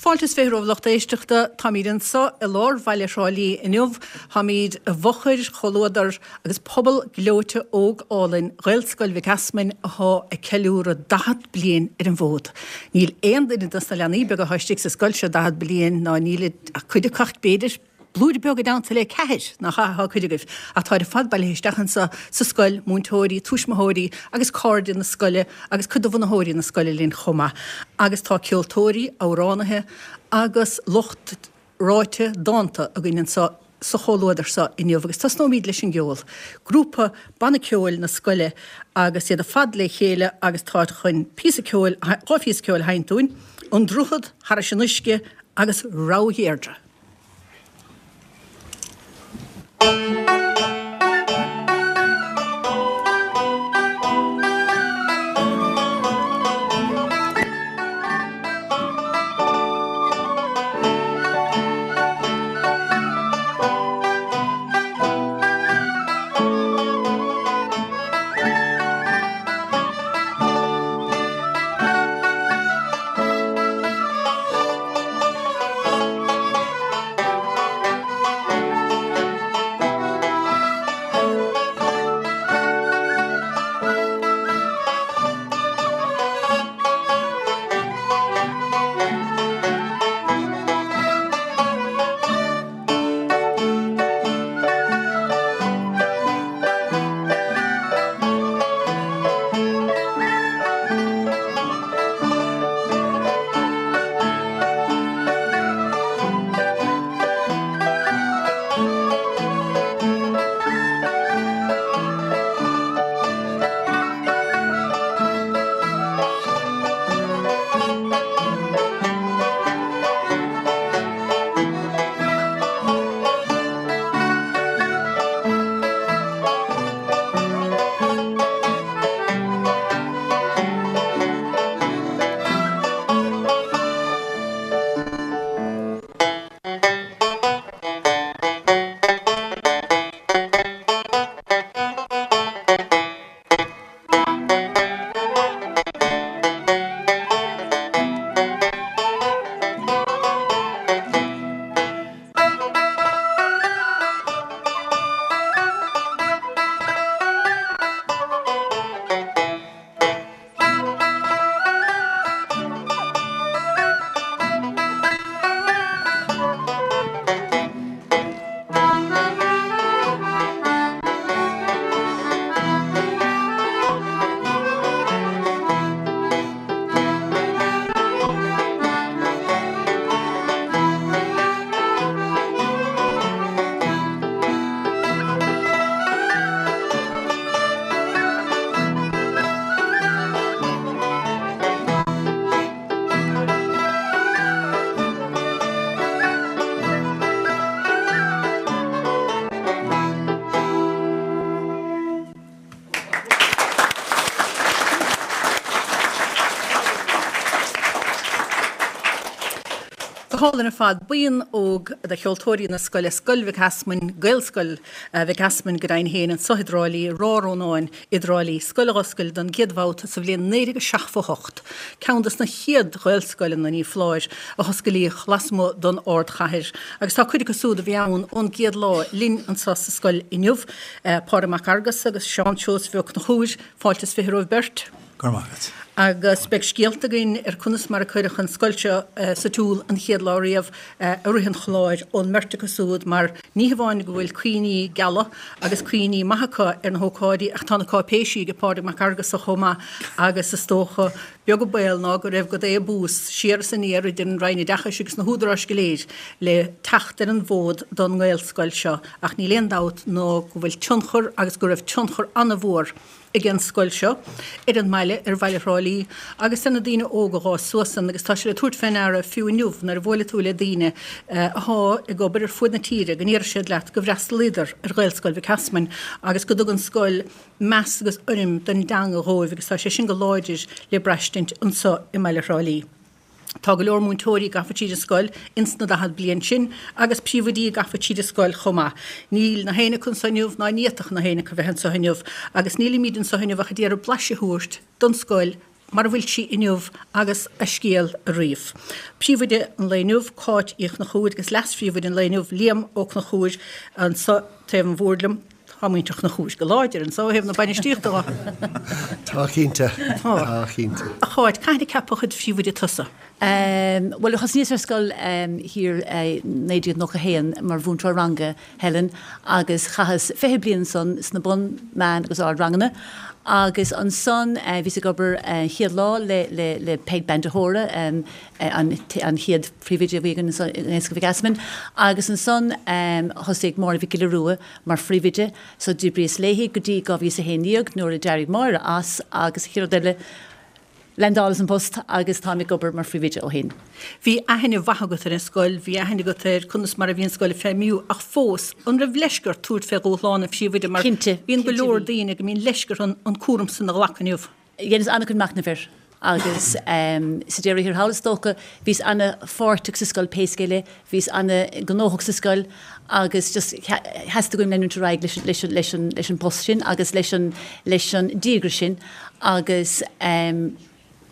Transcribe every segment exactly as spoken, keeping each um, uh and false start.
Fáilte is fiche romhaibh lucht éisteachta, táimid anseo i lár bhaile Thrá Lí inniu, táimid i bhfochair chomhluadar agus pobal gleoite óg álainn Ghaelscoil Mhic Easmainn atá ag ceiliúradh daichead bliain ar an bhfód. Níl aon duine dos na leanaí beaga atá istigh sa scoil seo daichead bliain ná níl ach cuid acu b'fhéidir blúire beag i dteannta le ceathair nach ea atá cuid agaibh, ach táid ar fad bailithe isteach anseo sa scoil, múinteoirí, tuismitheoirí agus cairde na scoile agus cuid de bhunaitheoirí na scoile linn chomh maith. Agus tá ceoltóirí, amhránaithe agus lucht ráite dánta againn anseo sa chomhluadar seo inniu agus tosnóimid leis an gceol. Grúpa banna ceoil na scoile agus iad ar fad le chéile agus táid chun píosa ceoil, dhá phíosa ceoil a sheinnt dúinn, An Droichead Thairis an Uisce agus Rogha Dheirdre. Go hálainn ar fad. Buíon óg de cheoltóirí na scoile, Scoil Mhic Easmainn, Gaelscoil Mhic Easmainn go deimhin féin, anseo i dTrá Lí, Ráth Rónáin i dTrá Lí, scoil a dh'oscail don gcéad bhabhta sa bhliain naoi déag seachtó a hocht, ceann dos na chéad Ghaelscoileanna, ní foláir, a hoscailíodh lasmuigh don ardchathair. Agus tá cuid acu súd a bhí ann ón gcéad lá linn anseo sa scoil inniu, Pádraig Mac Fheargusa agus Seán Seosamh Ó Conchúir, fáilte is fiche romhaibh beirt. Go raibh maith agat. Agus beidh scéalta againn ar conas mar a cuireadh an scoil seo sa tsiúl an chéad lá riamh i rith an chláir ón mbeirt acu súd mar ní hamháin go bhfuil cuimhní geala agus cuimhní maithe acu ar na hócáidí ach tá na cáipéisí ag Pádraig Mac Fheargusa chomh maith agus is dócha beag an baol ná go raibh gadaí abús siar is aniar idir an Roinn Oideachais agus na húdaráis go léir le teacht ar an bhfód don nGaelscoil seo ach níl aon dabht ná go bhfuil tionchar agus go raibh tionchar an-mhór ag an scoil seo ar an mbaile, ar bhaile Thrá Lí, agus ar na daoine óga a dh'fhás suas ann agus tá sé le tabhairt fé ndeara fiú inniu nuair a bhuaileann tú le daoine athá ag obair ar fuaid na tíre go ndéarfaidh siad leat go bhfreastalaíodar ar Ghaelscoil Mhic Easmainn agus go dtug an scoil meas agus urraim don dteanga dhóibh agus tá sé sin go láidir le braistint anso i mbaile Thrá Lí. Tá go leor múinteoirí gafa tríd an scoil ins na daichead bliain sin agus príomhoidí gafa tríd an scoil chomh maith. Níl na héinne acu anso inniu ná ní fhéadfadh na héinne acu bheith anso inniu agus nílimíd anso inniu ach a d'iarraidh blaiseadh a thabhairt don scoil mar a bhfuil sí inniu agus a scéal a ríomh. Príomhoide an lae inniu, Cáit Uí Chonchúir agus leas-phríomhoide an lae inniu, Liam Ó Conchúir, anseo taobh an bhoird liom. Tá muintir Chonchúir go láidir anseo ó thaobh na bainistíochta de. Tá cinnte. Tá cinnte. A Cháit, cathain a ceapadh i do phríomhoide tusa? Bhuel, thosnaíos ar scoil thiar i naoi déag nócha haon mar mhúinteoir ranga, Helen, agus chaitheas fiche bliain ansan sna bun, meán agus ard ranganna agus ansan bhíos ag obair an chéad lá le le le Peig Bean de hÓra, an an chéad phríomhoide a bhí againn ansan i nGaelscoil Mhic Easmainn agus ansan thosaigh Máire Mhic Giolla Rua mar phríomhoide so d'oibríos léi go dtí dhá mhíle is a haon déag nuair a d'éirigh Máire as agus an chéad rud eile Landálas an post agus táim ag obair mar phríomhoide ó shin. Bhí aithne mhaith agat ar an scoil, bhí aithne agat ar conas mar a bhí an scoil ag feidhmiú ach fós, an raibh leisce ort tabhairt fé dhúshlán an phríomhoide mar Cinnte, bíonn go cinnte leor bhí. daoine go mbíonn leisce orthu an cúram san a ghlacadh inniu. Dheineas an-chuid machnaimh air agus sa deireadh thiar thall is dócha, bhíos ana-pháirteach sa scoil pé scéal é, bhíos ana-ghnóthach sa scoil agus just theastaigh uaim leanúint ar aghaidh leis leis leis an leis an bpost sin agus leis an leis an díograis sin agus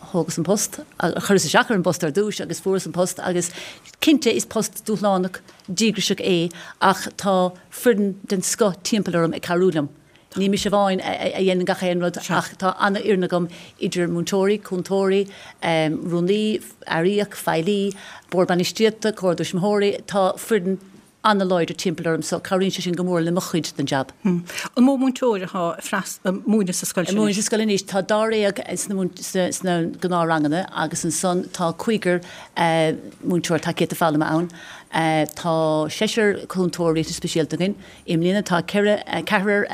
thógas an post, chuireas isteach ar an bpost ar dtús agus fuaireas an post agus cinnte is post dúshlánach díograiseach é ach tá foireann den scoth timpeall orm ag cabhrú liom. Ní mise amháin a dhéanann gach aon rud ach tá an-fhoireann agam idir múinteoirí, cúntóirí, rúnaí, airíoch, feighlí, bord bainistíochta, comhairle tuismitheoirí, tá foireann an-láidir timpeall orm so cabhraíonn sé sin go mór le mo chuid den jab. An mó múinteoir atá ag múineadh sa scoil sin anois? Ag múineadh sa scoil anois tá dáréag sna gnáthranganna agus ansan tá cúigear múinteoir tacaíochta foghlama ann. Tá seisear cúntóir riachtanas speisialta againn. I mbliana tá ceithre, ceathrar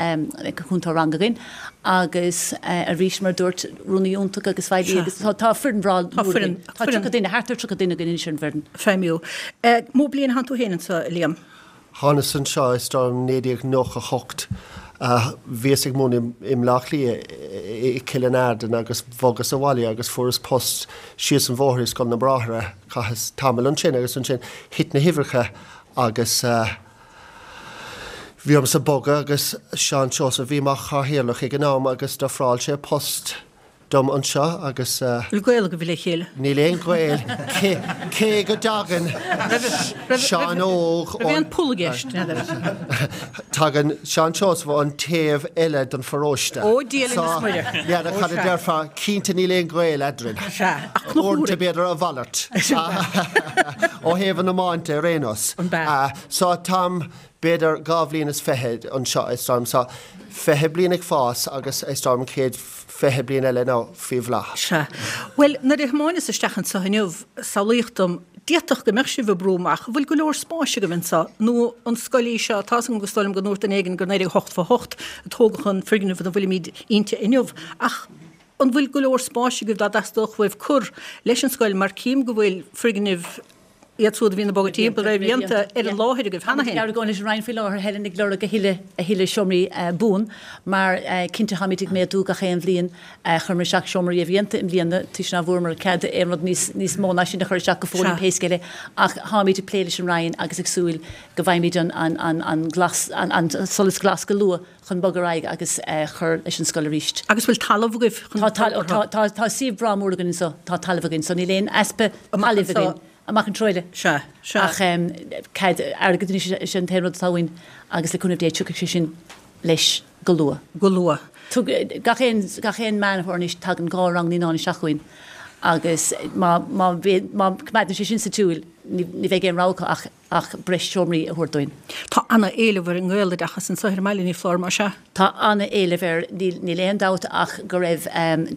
cúntóir ranga againn agus arís mar a dúirt, rúnaí iontach agus feighlí agus tá foireann bhreá mhór againn. Tá tríocha duine, thart ar tríocha duine againn anois ar an bhfoireann. Feidhmiú. Mó bliain a thánn tú féin anseo, a Liam? Thánas anseo is dóigh liom naoi déag nócha hocht. Bhíos ag múineadh i mBleá Cliath i Cill an Aird agus bhogas abhaile agus fuaireas post síos an bhóthar i Scoil na mBráithre. Chaitheas tamall ansin agus ansin thit na huimhreacha agus bhí ormsa bogadh agus Seán Seosamh a bhí mar chathaoirleach ag an am agus d'ofráil sé post dom anseo agus. Bhfuil gaol agaibh le chéile? Níl aon ghaol, cé go dtagann Seán Óg ón. Raibh aon poll i gceist, n'fheadar. Tagann Seán Seosamh ón taobh eile den pharóiste. Ó Dia linn is Muire. N'fheadar cad a déarfá, cinnte níl aon ghaol eadrainn. Sea, ach Conchúr. Uaireanta b'fhéidir a mhalairt. Ó thaobh an iomáint ar aon nós. An b'ea? So táim b'fhéidir dhá bhliain is fiche anseo is dóigh liom. So fiche bliain ag fás agus is dóigh liom an chéad fiche bliain eile now faoi bhláth. Sea. Bhuel, nuair a thiomáineas isteach anseo inniu, samhlaíodh dom, d'fhéadfadh go mbeadh sibh ag brú amach, an bhfuil go leor spáis agaibh anseo, nó an scoil í seo, tá's agam agus is dóigh liom go ndúirt duine éigin gur naoi déag ochtó a hocht a tógadh an foirgneamh ina bhfuilimid inti inniu, ach an bhfuil go leor spáis agaibh dá dteastódh uaibh cur leis an scoil mar cím go bhfuil foirgnimh iad siúd a bhíonn ag bogadh timpeall réamhdhéanta ar an láthair agaibh cheana féin. Táimid ag argóint leis an Roinn faoi láthair, Helen, ag lorg a thuilleadh a thuilleadh seomraí buan mar cinnte táimid ag méadú gach aon bhliain. Chuireamar isteach seomra réamhdhéanta i mbliana toisc ná bhfuaireamar cead aon rud níos níos mó ná sin a chur isteach go fóill pé scéal é ach táimid ag plé leis an Roinn agus ag súil go bhfaighimid an an an an glas an an solas glas go luath chun bogadh ar aghaidh agus cur leis an scoil arís. Agus bhfuil talamh agaibh chun forbartha? Tá tá tá suíomh breá mór againn anseo, tá talamh againn so níl aon easpa talaimh againn. Amach an treo eile. Sea, sea. Ach cead airgid anois is é an t-aon rud atá uainn agus le cúnamh Dé tiocfaidh sé sin leis go luath. Go luath. Tug, gach aon, gach aon Meán Fómhair anois tagann dhá rang naíonáin isteach chugainn agus má, má, má coimeádann sé sin sa tsiúl ní, ní bheidh aon rogha acu ach, ach breis seomraí a thabhairt dúinn. Tá ana-éileamh ar an nGaeloideachas anseo ar an mbaile, ní foláir, más ea? Tá an-éileamh air, níl aon dabht ach go raibh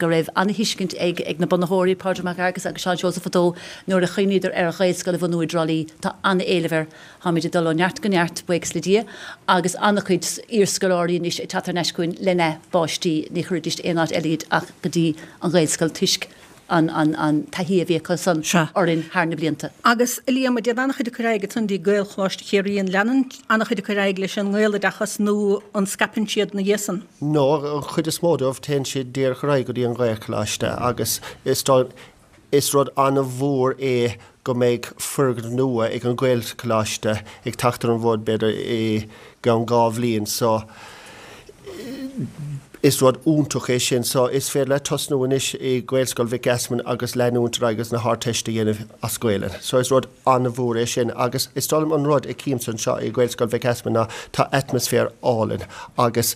go raibh an-thuiscint ag ag na bunaitheoirí, Pádraig Mac Fhearghus agus Seán Seosamh fadó nuair a chuimhníodar ar Ghaelscoil a bhunú i dTrá Lí. Tá an-éileamh air. Táimid ag dul ó neart go neart, buíochas le Dia, agus an-chuid iarscoláirí anois ag teacht thar n-ais chugainn lena bpáistí, ní chuirfidís aon áit eile iad ach go dtí an Ghaelscoil toisc an an taithí a bhí acu san orainn thar na blianta. Agus, a Liam, dtéann an-chuid acu ar aghaidh ansan dtí Gaelcholáiste Chiarraí, an leanann an-chuid acu ar aghaidh leis an nGaeloideachas nó an scaipeann siad ina dhiaidh san? No, an chuid is mó dóibh, téann siad díreach ar aghaidh go dtí an Ghaelcholáiste agus is dóigh, is rud an-mhór é go mbeidh foirgneamh nua ag an Ghaelcholáiste ag teacht ar an bhfód b'fhéidir i gceann dhá bhliain so Is rud iontach é sin so is féidir leat tosnú anois i Gaelscoil Mhic Easmainn agus leanúint ar aghaidh agus na hArdteiste a dhéanamh as Gaelainn. So is rud an-mhór é sin agus is dóigh liom an rud a chímse anseo i Gaelscoil Mhic Easmainn ná tá atmaisféar álainn agus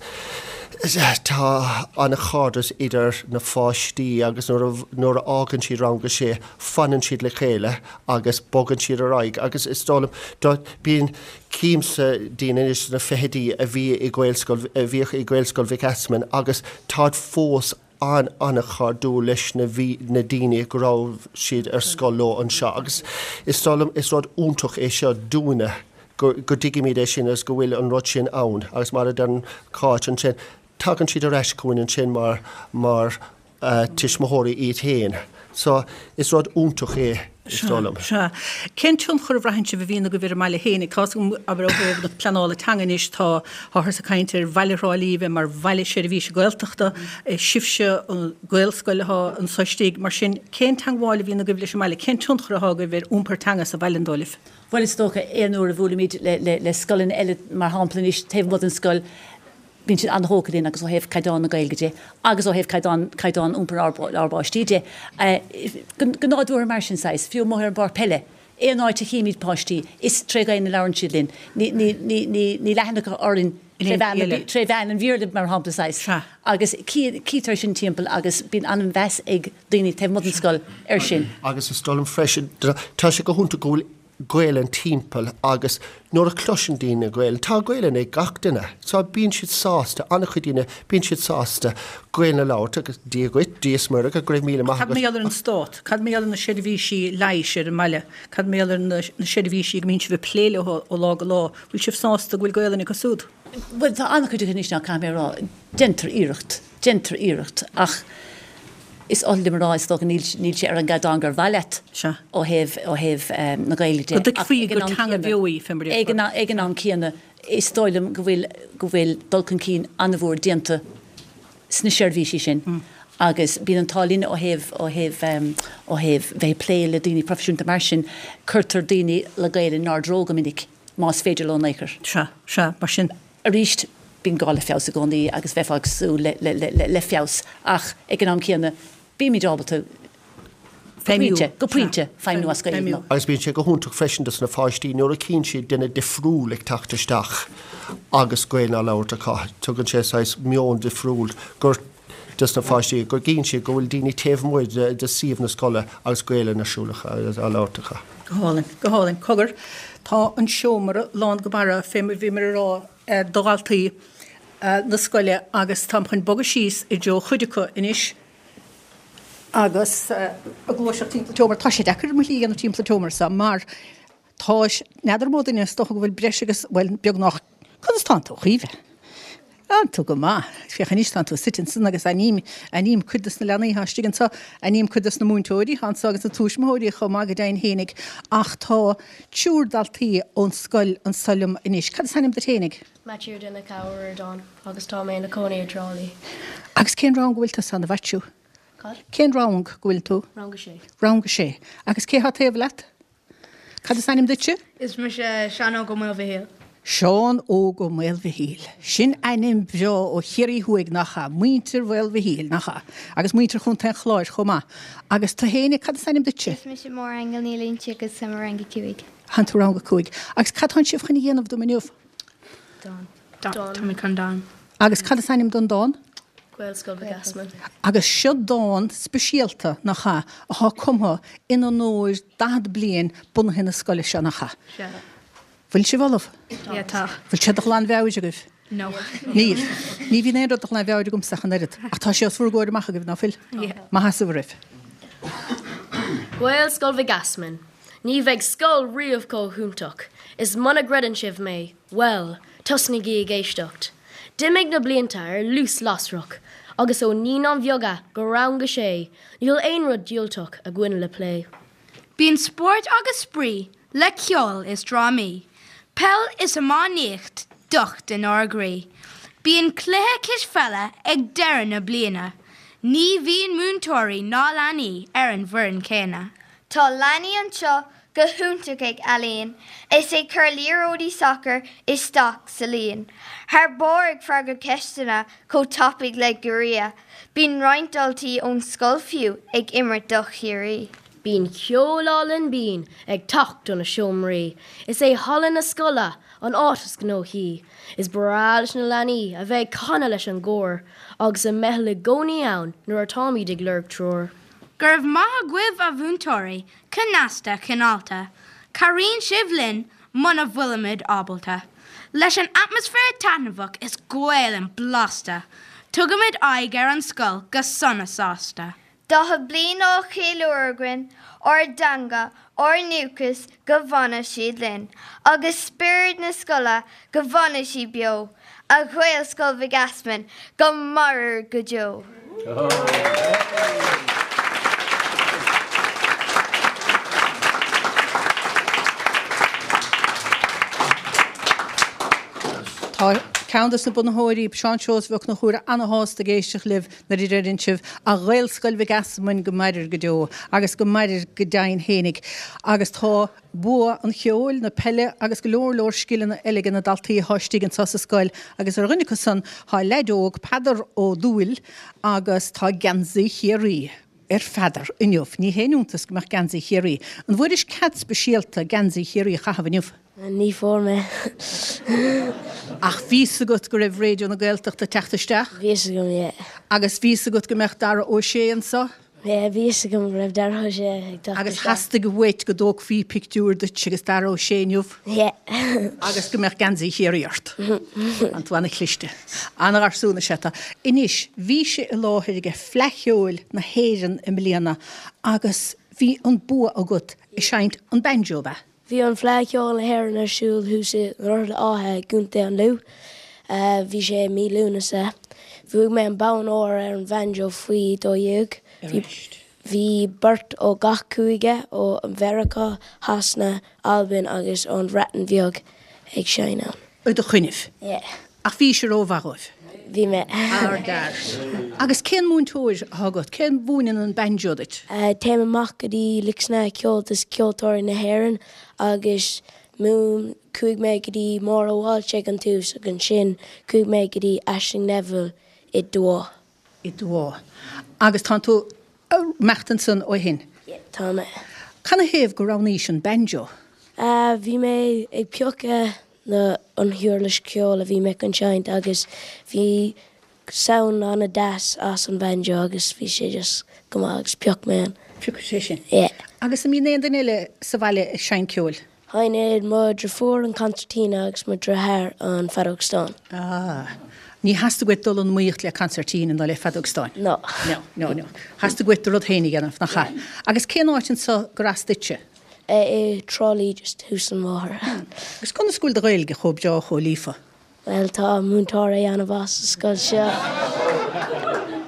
tá an-chairdeas idir na pháistí agus nuair a fhágann siad rang a sé fanann siad le chéile agus bogann siad ar aghaidh agus is dóigh liom bíonn címse daoine anois sna fichidí a bhí i Gaelscoil a bhíodh i Gaelscoil Mhic Easmainn agus táid fós an an-chairdiúil leis na bhí na daoine go raibh siad ar scoil leo anseo agus is dóigh liom is rud iontach é seo dúinne go go dtuigimid é sin agus go bhfuil an rud sin ann agus mar a deir Cáit ansin tagann siad ar ais chugainn ansin mar mar uh, tuismitheoirí iad féin. So is rud iontach é is dóigh liom. Sea. Cén tionchar a bhraitheann sibh a bhíonn agaibh ar an mbaile féin ag cás abair ó thaobh na pleanála teanga anois tá táthar ag caint ar bhaile Thrá Lí bheith mar bhaile seirbhíse Gaeltachta, sibhse an Gaelscoil atá anso istigh mar sin cén teagmháil a bhíonn agaibh leis an mbaile, cén tionchar atá agaibh ar iompar teanga sa bhaile an dóigh libh? Bhuel is dócha aon uair a bhuailimid le, le, le scoileanna eile mar shampla anois taobh amuigh den scoil bíonn siad an-tógtha linn agus ó thaobh caighdeán na Gaeilge de agus ó thaobh caighdeán caighdeán iompar ár ár bpáistí de. Go nádúrtha mar sin saghas, fiú amuigh ar an bpáirc peile. Aon áit a chímid páistí is tré Ghaeilge a labhrann siad linn. Ní ní ní ní ní leathanach orainn tré mheán tré mheán an Bhéarla mar shampla saghas. Agus cítear sin timpeall agus bíonn an-mheas ag daoine taobh amuigh den scoil ar sin. Agus is dóigh liom freisin tá sé go hiontach go bhfuil Gaelainn timpeall agus nuair a chloiseann daoine Gaelainn, tá Gaelainn ag gach duine, so bíonn siad sásta, an-chuid daoine, bíonn siad sásta Gaelainn a labhairt agus Dia dhuit, Dia is Muire, go raibh míle maith Cad mar gheall ar an stát, cad mar gheall ar na seirbhísí leighis ar an mbaile, cad mar gheall ar na seirbhísí go mbíonn sibh ag plé leo ó lá go lá, bhfuil sibh sásta go bhfuil Gaelainn acu siúd? Bhuel tá an-chuid acu anois ná caithfidh mé a rá, déantar iarracht, déantar iarracht ach is oth liom a rá is dócha níl níl sé ar an gcaighdeán gur mhaith leat Sea. ó thaobh ó thaobh na Gaeilge de. Go dtuigfí gur teanga bheo í, fé mar a Ag an ag an am céanna is dóigh liom go bhfuil go bhfuil dul chun cinn an-mhór déanta sna seirbhísí sin agus bíonn an t-ádh linn ó thaobh ó thaobh ó thaobh bheith ag plé le daoine proifisiúnta mar sin cuirtear daoine le Gaeilge inár dtreo go minic más féidir leo in aon chor. Sea, sea, mar sin. Arís bíonn gá le feabhas i gcónaí agus bheifeá ag súil le, le, le, le feabhas ach ag an am céanna bímid ábalta Feidhmiú. go pointe feidhmiú as Gaeilge. Agus bíonn sé go hiontach freisin dos na pháistí nuair a chíonn siad duine difriúil ag teacht isteach agus Gaeilge á labhairt acu. Tugann sé saghas meon difriúil gur dos na pháistí go gcíonn siad go bhfuil daoine taobh amuigh de, de suíomh na scoile agus Gaeilge ar siúl á labhairt acu. Go hálainn, go hálainn. Cogar, tá an seomra lán go barra fé mar bhí mar a rá de dhaltaí na scoile agus táim chun bogadh síos i dtreo chuid acu anois agus ag gluaiseacht timpeall an tseomra. Tá sé deacair mo shlí a dhéanamh timpeall an tseomra seo mar tá n'fheadar mó duine is dócha go bhfuil breis agus bhuel beagnach conas tánn tú a Chaoimhe? Tánn tú go maith. Féach anois tánn tú suite ansan agus aithním aithním cuid de na leanaí atá istigh anseo, aithním cuid de na múinteoirí atá anseo agus na tuismitheoirí chomh maith go deimhin fhéinig ach tá triúr daltaí ón scoil anseo liom anois. Cad is ainm duit fhéinig? Maitiú Donncha Ó Ríordáin agus tá mé ina cónaí i dTrá Lí. Agus cén rang go bhfuil tú ann a Mhaitiú? Cad? Cén rang go bhfuil tú? Rang a sé. Rang a sé. Agus cé há taobh leat? Cad is ainm duitse? Is mise Seán Óg Ó Maolmhichíl. Seán Óg Ó Maolmhichíl. Sin ainm breá ó Chiarraí Thuaidh nach ea, muintir Mhaolmhichíl nach ea, agus muintir Chontae an Chláir chomh maith. Agus tú fhéinig, cad is ainm duitse? Is mise Máire Aingeal Ní Loinsigh agus tá mé i rang a cúig. Tánn tú rang a cúig. Agus cad tánn sibh chun a dhéanamh dom inniu? Dán. Dán. Tá mé chun dán. Agus cad is ainm don dán? Gaelscoil Mhic Easmainn. Agus seo dán speisialta nach ea atá cumtha in onóir daichead bliain bunaithe na scoile seo nach ea. Sea. Bhfuil sibh ullamh? Yeah, tá. Bhfuil sé de ghlanmheabhair agaibh? No. Níl. Ní bhíonn aon rud de ghlanmheabhair agamsa ach an oiread. Ach tá sé os bhur gcomhair amach agaibh, ná fuil? Yeah. Maith as bhur raibh. Gaelscoil Mhic Easmainn. Ní bheidh scoil riamh chomh hiontach. Is muna gcreideann sibh mé, well, tosnaígí ag éisteacht. D'imigh na blianta ar luas lasrach, agus ó naíonáin bheaga go rang a sé, níl aon rud diúltach againn le plé. Bíonn spórt agus spraoi le ceol is drámaí, peil is iománaíocht docht inár gcroí. Bíonn cluiche cispheile ag deireadh na bliana. Ní bhíonn múinteoirí ná leanaí ar an bhfoireann céanna. Tá leanaí anseo go hiontach ag ealaín, is ag cur liathróidí sacair isteach sa líon. Thar barr ag freagairt ceisteanna chomh tapaidh le giorria, Bíonn roinnt daltaí ón scoil fiú ag imirt do Chiarraí. Bíonn ceol álainn binn ag teacht ó na seomraí, Is é halla na scoile an áit is gnóthaí, Is breá leis na leanaí a bheith ag canadh leis an gcór, Agus an meitheal i gcónaí ann nuair atáimid ag lorg treoir. Go raibh maith agaibh a mhúinteoirí, cneasta cineálta, Cabhraíonn sibh linn muna bhfuilimid ábalta. Leis an atmaisféar taitneamhach is Gaelainn blasta, tugaimid aghaidh ar an scoil go sona sásta. Daichead bliain á cheiliúradh againn, ár dteanga, ár ndúchas go bhfana siad linn, agus spiorad na scoile go bhfana sí beo, a Ghaelscoil Mhic Easmainn go mairir go deo. Tá ceann de na bunaitheoirí, Seán Seosamh Ó Conchúir ana-shásta ag éisteacht libh nuair a deireann sibh a Ghaelscoil Mhic Easmainn go mairir go deo agus go mairir go deimhin fhéinig. Agus tá bua an cheoil, na peile agus go leor leor scileanna eile ag na daltaí atá istigh anseo sa scoil agus ar dhuine acu san tá leaid óg Peadar Ó Dúill agus tá geansaí Chiarraí ar Pheadar inniu. Ní haon iontas go mbeadh geansaí Chiarraí. An bhfuairis cead speisialta geansaí Chiarraí a chaitheamh inniu? Ní fuair mé. Ach bhí fhios agat go raibh Raidió na Gaeltachta ag teacht isteach? Bhí fhios agam, yeah. Agus bhí fhios agat go mbeadh Dara Ó Sé anseo? Yeah, bhí fhios agam go raibh Dara Ó Sé ag teacht Agus isteach. theastaigh uait go dtógfaí pictiúr duit agus Dara Ó Sé inniu? Yeah. Agus go mbeadh geansaí Chiarraí ort. Tá tú ana-chliste. Ana-gharsún is ea tú. Anois, bhí sé i láthair ag Fleadh Cheoil na hÉireann i mbliana agus bhí an bua agat ag seinnt an banjo, ab ea? Bhí an Fleadh Cheoil na hÉireann ar siúl thuas i nDroichead Átha i gContae an Lú. Bhí sé i mí Lúnasa. Bhuaigh mé an bonn óir ar an bhanjo faoi dó dhéag. Bhí beirt ó gach cúige, ó Mheiriceá, Shasana, Albain agus ón Bhreatain Bheag ag seinm ann. I do choinnibh? Yeah. Ach bhís rómhaith dóibh? Bhí mé. Thar lear. Agus cén múinteoir atá agat? Cé a mhúineann an banjo duit? Téim amach go dtí Luisne Ceoltas Ceoltóirí na hÉireann agus múin chuaigh mé go dtí Máire Walsh ag an tús agus ansin chuaigh mé go dtí Aisling Neville i dTuath. I dTuath. Agus tá tú ag imeacht ansan ó shin? Yeah, tá mé. Canathaobh gur roghnaís an banjo? Bhí mé ag piocadh na an huirlis ceoil a bhí mé chun seinnt agus bhí sound an-deas as an banjo agus bhí sé just go maith agus phioc mé an. Phioc sé sin? Yeah. Agus an mbíonn aon duine eile sa bhaile ag seinnt ceoil? Sheinneann mo dheirfiúr an concertina agus mo dheartháir an feadóg stáin. Ah. Ní theastaigh uait dul in iomaíocht le concertina ná le feadóg stáin? No. No, no, no. Theastaigh uait do rud féin a dhéanamh, nach ea? Agus cén áit anseo gur as duitse? I dTrá Lí just thuas an bóthar. Agus conas go bhfuil do Ghaeilge chomh breá chomh líofa? Bhuel tá múinteoirí an-mhaith sa scoil seo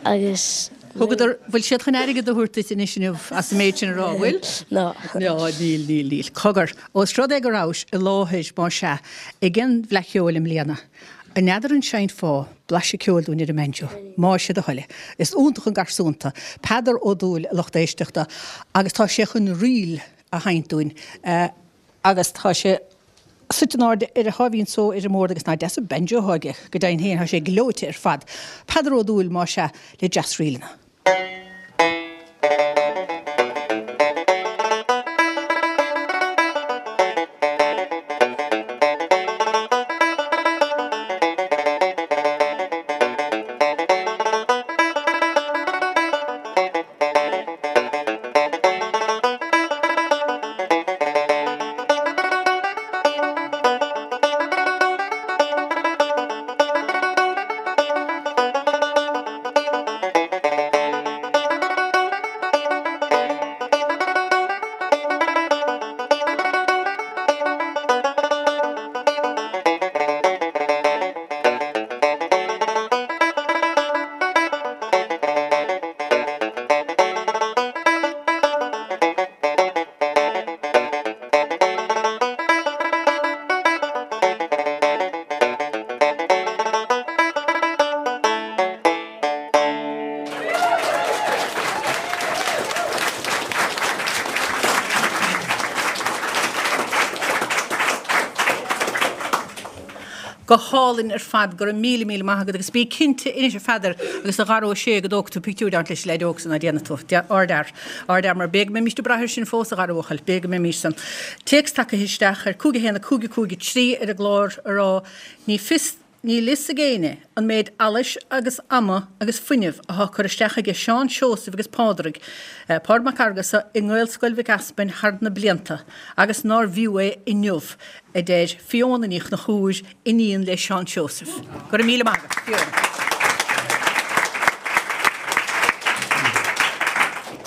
agus. Thugadar, bhfuil siad chun airgead a thabhairt duit anois inniu as an méid sin a rá, bhfuil? No. No, níl, níl, níl. Cogar, ós rud é go rabhais i láthair, más ea, ag an bhFleadh Cheoil i mbliana, an n'fheadar an seinnfeá blaiseadh ceoil dúinn ar an mbanjo, más é do thoil é. Is iontach an garsún tú, Peadar Ó Dúill, a lucht éisteachta, agus tá sé chun ríl a sheinnt dúinn agus tá sé suite in airde ar a sháimhín só ar an mbord agus nach deas an banjo atá aige, go deimhin féin, tá sé gleoite ar fad. Peadar Ó Dúill, más ea, le deasríleanna. Go hálainn ar fad, go raibh míle míle maith agat agus bí cinnte anois a Pheadair agus a Dhara Ó Sé go dtógfaidh tú pictiúr leis an leaid óg san ná déanfaidh tú. Ardfhear. Ardfhear mar b'fhéidir go mbeimís ag brath air sin fós a Dhara bhuachaill, b'fhéidir go mbeimís san. Téacs tagtha isteach ar cúig a haon a cúig a cúig a trí ar an gclár a rá ní fios Níl fhios ag éinne an méid allais agus ama agus fuinnimh athá curtha isteach aige Seán Seosamh agus Pádraig, Pádraig Mac Fhearghusa, i nGaelscoil Mhic Easmainn thar na blianta agus nár bhfiú é inniu, a deir Fiona Ní Chonchúir, iníon le Seán Seosamh. Go raibh míle maith agat, Fiona.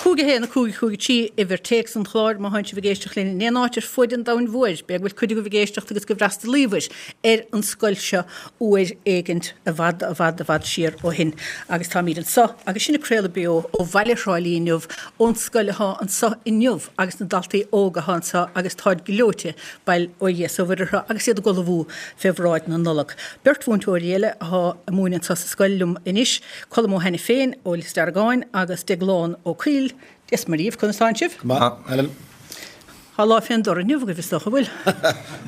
Cúig a haon a cúig a cúig a trí, uimhir téacs an chláir, má thánn sibh ag éisteacht linn in aon áit ar fuaid an domhain mhóir, b'fhéidir go bhfuil cuid agaibh ag éisteacht agus go bhfreastalaíobhair ar an scoil seo uair éigint i bhfad, i bhfad, i bhfad siar ó shin. Agus táimid anseo agus sinn ag craoladh beo ó bhaile Thrá Lí inniu, ón scoil athá anseo inniu agus na daltaí óga athá anseo agus táid gleoite, bail ó Dhia 's ó Mhuire orthu agus iad ag ullmhú fé bhráid na Nollag. Beirt mhúinteoirí eile athá ag múineadh anseo sa scoil liom anois, Colm Ó hAiniféin ó Lios Deargáin agus Deaglán Ó Cuill. Dia 's Muire dhaoibh, conas tánn sibh? Go maith, Helen. Tá lá fén dtor inniu agaibh is dócha, bhfuil?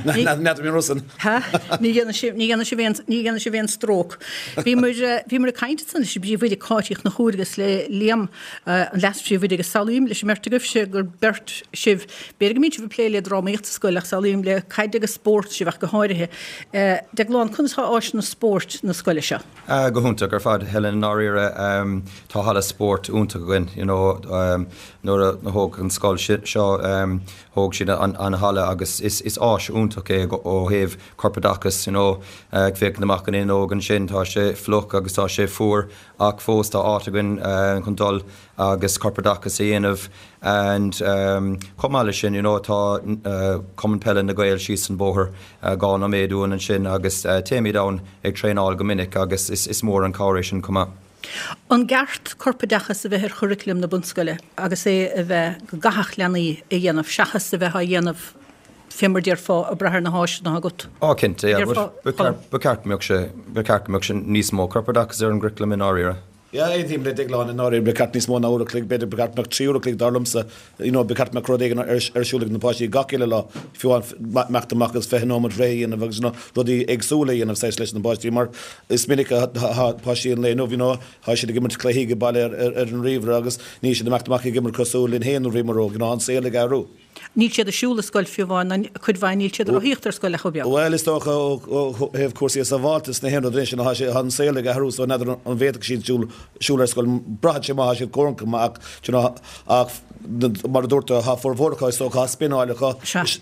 N'fheadar mé Rosann. Ha? Ní dhéanfaidh sibh, ní dhéanfaidh sibh aon, ní dhéanfaidh sibh aon stróc. Bhíomar, bhíomar ag caint ansan leis an bpríomhoide Cáit Uí Chonchúir agus le Liam, an leas-phríomhoide agus samhlaím leis an mbeirt agaibhse gur beirt sibh, b'fhéidir go mbíonn sibh ag plé le drámaíocht sa scoil ach samhlaím le caid agus spórt sibh ach go háirithe. Deaglán, conas tá áiseanna spóirt na scoile seo? Go hiontach ar fad, Helen, i ndáiríre. Tá halla spóirt iontach againn, you know, nuair a thóg an scoil seo, thóg siad an halla agus is is áis iontach é ó thaobh corpoideachas, you know, ag féachaint amach an fhuinneog ansin, tá sé fliuch agus tá sé fuar ach fós tá áit againn chun dul agus corpoideachas a dhéanamh and chomh maith leis sin, you know, tá Cumann Peile na Gael síos an bóthar dhá nóiméad uainn ansin agus téimid ann ag traenáil go minic agus is is mór an cabhair é sin chomh maith. An gceart corpoideachas a bheith ar churaclam na bunscoile agus é a bheith go gcaithfeadh leanaí a dhéanamh seachas a bheith á dhéanamh fé mar déarfá ag brath ar na háiseanna atá agat? Á cinnte, yeah, ba cheart go mbeadh sé, ba cheart go mbeadh sé níos mó corpoideachas ar an gcuraclam i ndáiríre. Yeah, aontaím le Deaglán i ndáiríre, ba cheart níos mó ná uair a chloig, b'fhéidir ba cheart go mbeadh trí uair a chloig dar liomsa, you know, ba cheart go mbeadh rud éigin ar siúl ag na páistí gach uile lá, fiú amháin imeacht amach agus fiche nóiméad rith a dhéanamh agus you know, rudaí éagsúla a dhéanamh saghas leis na páistí mar is minic a tá páistí an lae inniu, you know, tá siad ag imirt cluichí ag baile ar ar an ríomhaire agus níl siad ag imeacht amach ag imirt cosúil linn féin nuair a bhíomar óg, you know, an saol ag athrú. Níl siad ag siúl ar scoil fiú amháin, ná cuid mhaith níl siad ag rothaíocht ar scoil ach chomh beag. Bhuel, is dócha ó thaobh cúrsaí sábháilteachta na haon rud anois, tá sé, tá an saol ag athrú so n'fheadar an bhféadfadh siad siúl, siúl ar scoil. Braitheann sé má tá siad cóngarach go maith ach, do you know, ach mar a dúirt tú, tá formhór acu is dócha á spionáil acu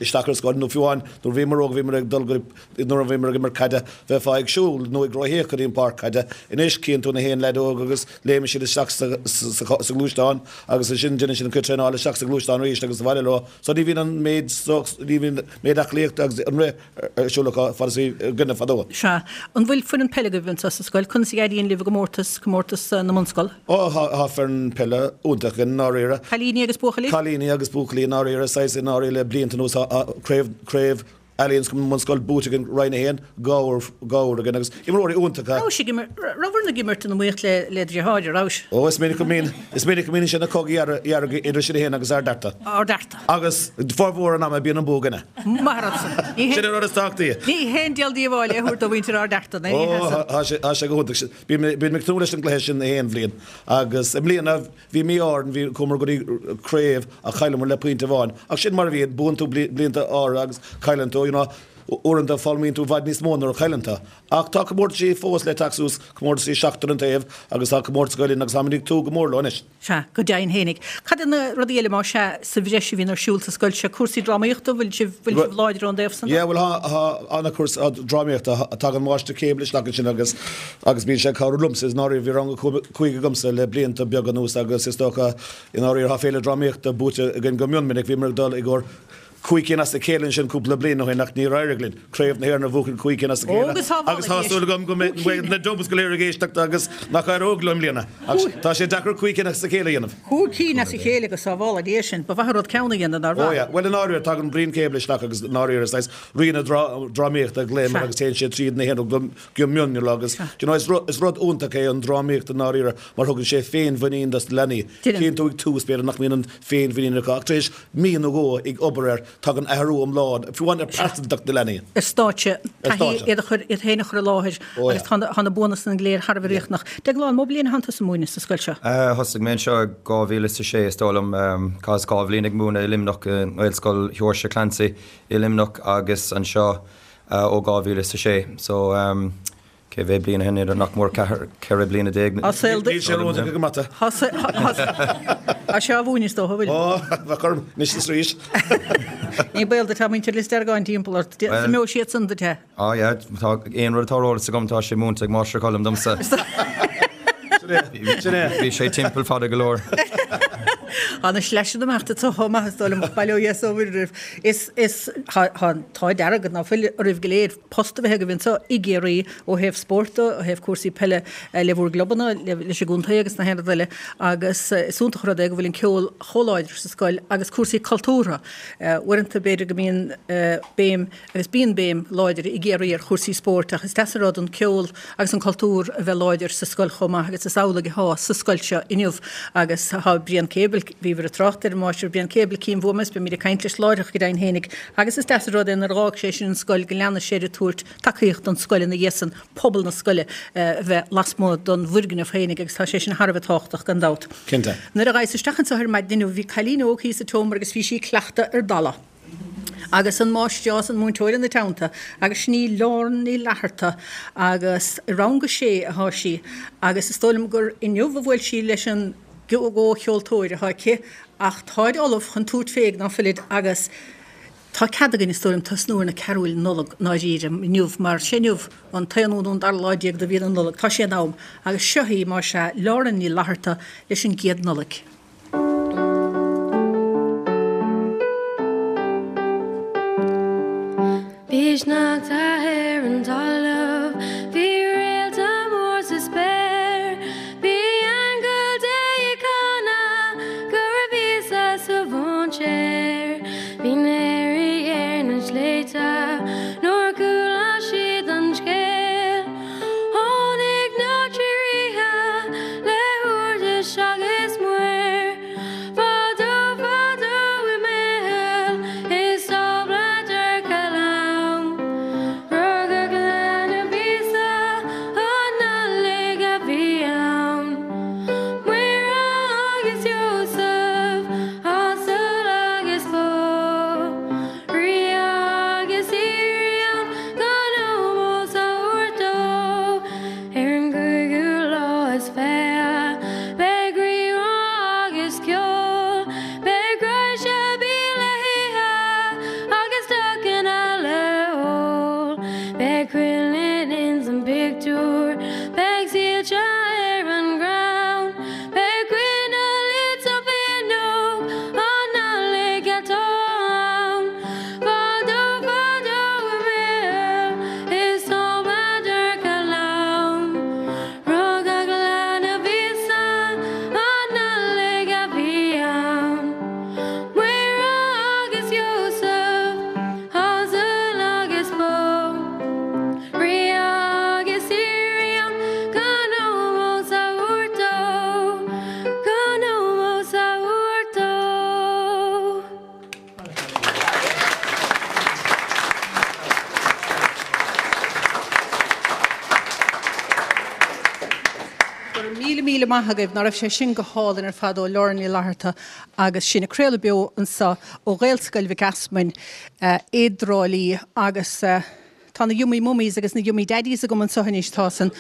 isteach ar scoil nó fiú amháin nuair a bhíomar óg bhíomar ag dul go, nuair a bhíomar ag imirt caide bheifeá ag siúl nó ag rothaíocht go dtí an páirc caide. Anois cíonn tú na haon leaid óg agus léimeann siad isteach sa, sa, sa ghluaisteán agus ansin déanann siad an cuid traenála isteach sa ghluaisteán arís agus abhaile leo. So ní bhíonn an méid ní bhíonn méid aclaíochta agus an rith ar siúl acu fad is a bhí againne fadó. Sea. An bhfuil foireann peile agaibh anseo sa scoil? Conas a éiríonn libh i gcomórtas, comórtas na mbunscol? Ó, tá, tá foireann peile iontach againn i ndáiríre. Cailíní agus buachaillí? Cailíní agus buachaillí i ndáiríre, saghas i ndáiríre le blianta anuas tá craobh, craobh Allianz na mBunscol buaite againn Roinn a haon, dhá uair, dhá uair againn agus imreoirí iontacha. Rabhais ag imirt, rabhair ag imirt in iomaíocht le, le deartháir, rabhais? Ó, is minic go mbíonn, is minic go mbíonn sé ina chogadh dhearg, dhearg idir sinn féin agus Ard Fhearta. Ard Fhearta. Agus formhór an ama bíonn an bua againne. Maith an rud san. Ní Sin an rud is tábhachtaí. Ní haon díol díobháil é a thabhairt do mhuintir Ard Fhearta, ní Ó, hea san. tá sé, tá sé go hiontach. Bíonn mé, bíonn mé ag tnúth leis an gcluiche sin aon bhliain agus i mbliana bhí mí-ádh orainn, bhí, chuamar go dtí craobh ach chailleamar le pointe amháin. Ach sin mar a bhíonn, buann tú blianta áirithe agus cailleann tú, you know, uaireanta foghlaimíonn tú i bhfad níos mó nuair a chailleann tú. Ach tá comórtaisí fós le teacht suas, comórtaisí seachtar an taobh agus tá comórtas Gael Linn agus táimid ag tnúth go mór leo anois. Sea, go deimhin fhéinig. Cad é na rudaí eile, más ea, sa bhreis a bhíonn ar siúl sa scoil seo? Cúrsaí drámaíochta, bhfuil sibh, bhfuil sibh láidir ón dtaobh san de? Yeah, bhuel tá, tá ana chúrsa drámaíochta, tagann Máistir Cable isteach ansin agus, agus bíonn sé ag cabhrú liomsa, i ndáiríre, bhí rang a cúig agamsa le blianta beaga anuas agus is dócha, i ndáiríre, tá Féile Drámaíochta buaite againn go mion minic, bhíomar ag dul i gcomhair cúig cinn as a chéile ansin cúpla bliain ó shin ach níor éirigh linn Craobh na hÉireann a bhuachan cúig cinn as a chéile agus tá súil agam go mbeidh na Dubs go léir ag éisteacht agus nach éireoidh leo i mbliana ach tá sé deacair cúig cinn as a chéile a dhéanamh. Cúig cinn as a chéile go sábhála Dia sinn. Ba mhaith an rud ceann a dhéanamh, nár mhaith? Ó yeah. Bhuel i ndáiríre tagann Brian Cable isteach agus i ndáiríre saghas rí na drámaíochta a ghlaoimid agus téann sé tríd na haon rud go mion agus you know is rud iontach é an drámaíocht i ndáiríre mar thugann sé féinmhuinín dos na leanaí. Tchíonn tú ag tús b'fhéidir nach mbíonn an féinmhuinín acu ach tar éis mí nó dhó ag obair air, tagann athrú iomlán, fiú amháin ar pearsantacht na leanaí. Ar stáitse, taithí iad a chur, iad féin a chur i láthair agus tá na, tá na buanna san go léir thar a bheith riachtanach. Deaglán, an mó bliain a thánn tusa ag múineadh sa scoil seo? Thosaigh mé anseo i dhá mhíle is a sé is dóigh liom. Chaitheas dhá bhliain ag múineadh i Luimneach, i nGaelscoil Sheoirse Clancy i Luimneach agus anseo ó dhá mhíle is a sé. So, cé mhéad bliain ó shin, idir nach mór ceathair, ceithre bliana déag. Tá saol Níl sé ródheacair go mata. Tá sé á mhúineadh is dócha, an bhfuil? Ó, bheadh orm anois is arís. Ní baol duit, tá muintir Lios Deargáin timpeall ort. Well, An mbeidh siad san duit é? Á, yeah, tá aon rud atá ar eolas agam, tá sé múinte ag Máistir Colm domsa. Sin é. Bhí sé timpeall fada go leor. Tá na sleaiseanna amach duit chomh maith is dóigh liom ach bail ó Dhia is ó Mhuire oraibh. Is, is, tá, tá an t-ádh dearg ná fuil oraibh go léir post a bheith agaibh anseo i gCiarraí ó thaobh spóirt de, ó thaobh cúrsaí peile le bhur gclubanna, le, leis an gcontae agus na haon rud eile agus is iontach an rud é go bhfuil an ceol chomh láidir sa scoil agus cúrsaí cultúrtha. Uaireanta b'fhéidir go mbíonn béim agus bíonn béim láidir i gCiarraí ar chúrsaí spóirt ach is deas an rud an ceol agus an cultúr a bheith láidir sa scoil chomh maith agus is amhlaidh atá sa scoil seo inniu agus tá Brian Cable, bhíobhair ag trácht ar an Máistir Brian Cable Cinn Bhuama is beimid ag caint leis láithreach go deimhin fhéinig agus is deas an rud é nuair a dh'fhág sé sin an scoil go leana sé air ag tabhairt tacaíocht don scoil ina dhiaidh san, pobal na scoile a bheith lasmuigh don bhfoirgneamh féinig agus tá sé sin thar a bheith tábhachtach gan dabht. Cinnte. Nuair a ghabhas isteach anseo ar maidin inniu bhí cailín óg thíos sa tseomra agus bhí sí ag cleachtadh ar dalladh agus an máistreás, an múinteoir ina teannta agus sin í Lauren Ní Fhlatharta agus i rang a sé atá sí agus is dóigh liom gur inniu a bhuail sí leis an gcomhcheoltóir atá aici ach táid ullamh chun tabhairt fé ná fuilid agus tá cead againn is dóigh liom tosnú ar na carúil Nollag ndáiríre inniu mar sé inniu an t-aonú nó an dara lá déag de mhí na Nollag, tá sé in am agus seo í más ea Lauren Ní Fhlatharta leis an gcéad Nollaig. Bhí sneachta ar an talamh, bhí réalta mór sa spéir, bhí aingeal Dé ag canadh go raibh Íosa sa mhainséar. Bhí na haoirí ar na sléibhte nuair a chuala siad an scéal. Tháinig na trí ríthe le húirlis agus muir. Fadó fadó i mBeithil i stábla dorcha lom. Rugadh leanbh Íosa an Nollaig a bhí ann. Muire agus Iósaf, asal agus bó. Rí agus aoirí ann gan ómós a thabhairt dó. Ar an gcúigiú lá is fiche, beidh rí-rá agus ceol. Beidh raidhse bídh le hithe agus deochanna le hól. Beidh cuileann ins an bpictiúr, beidh síolta ar an gcrann. Beidh coinneal sa bhfuinneog, an Nollaig atá ann. Fadó fadó i mBeithil, i stábla dorcha lom. Rugadh leanbh Íosa, an Nollaig a bhí ann. Muire agus Iósaf, asal agus bó. Rí agus aoirí ann, gan ómós a thabhairt dó, gan ómós a thabhairt dó. Go raibh míle míle maith agaibh, ná raibh sé sin go hálainn ar fad ó Lauren Ní Fhlatharta agus sinn ag craoladh beo anseo ó Ghaelscoil Mhic Easmainn i dTrá Lí agus tá na Yummy Mummies agus na Yummy Daddies agam anseo anois tá san.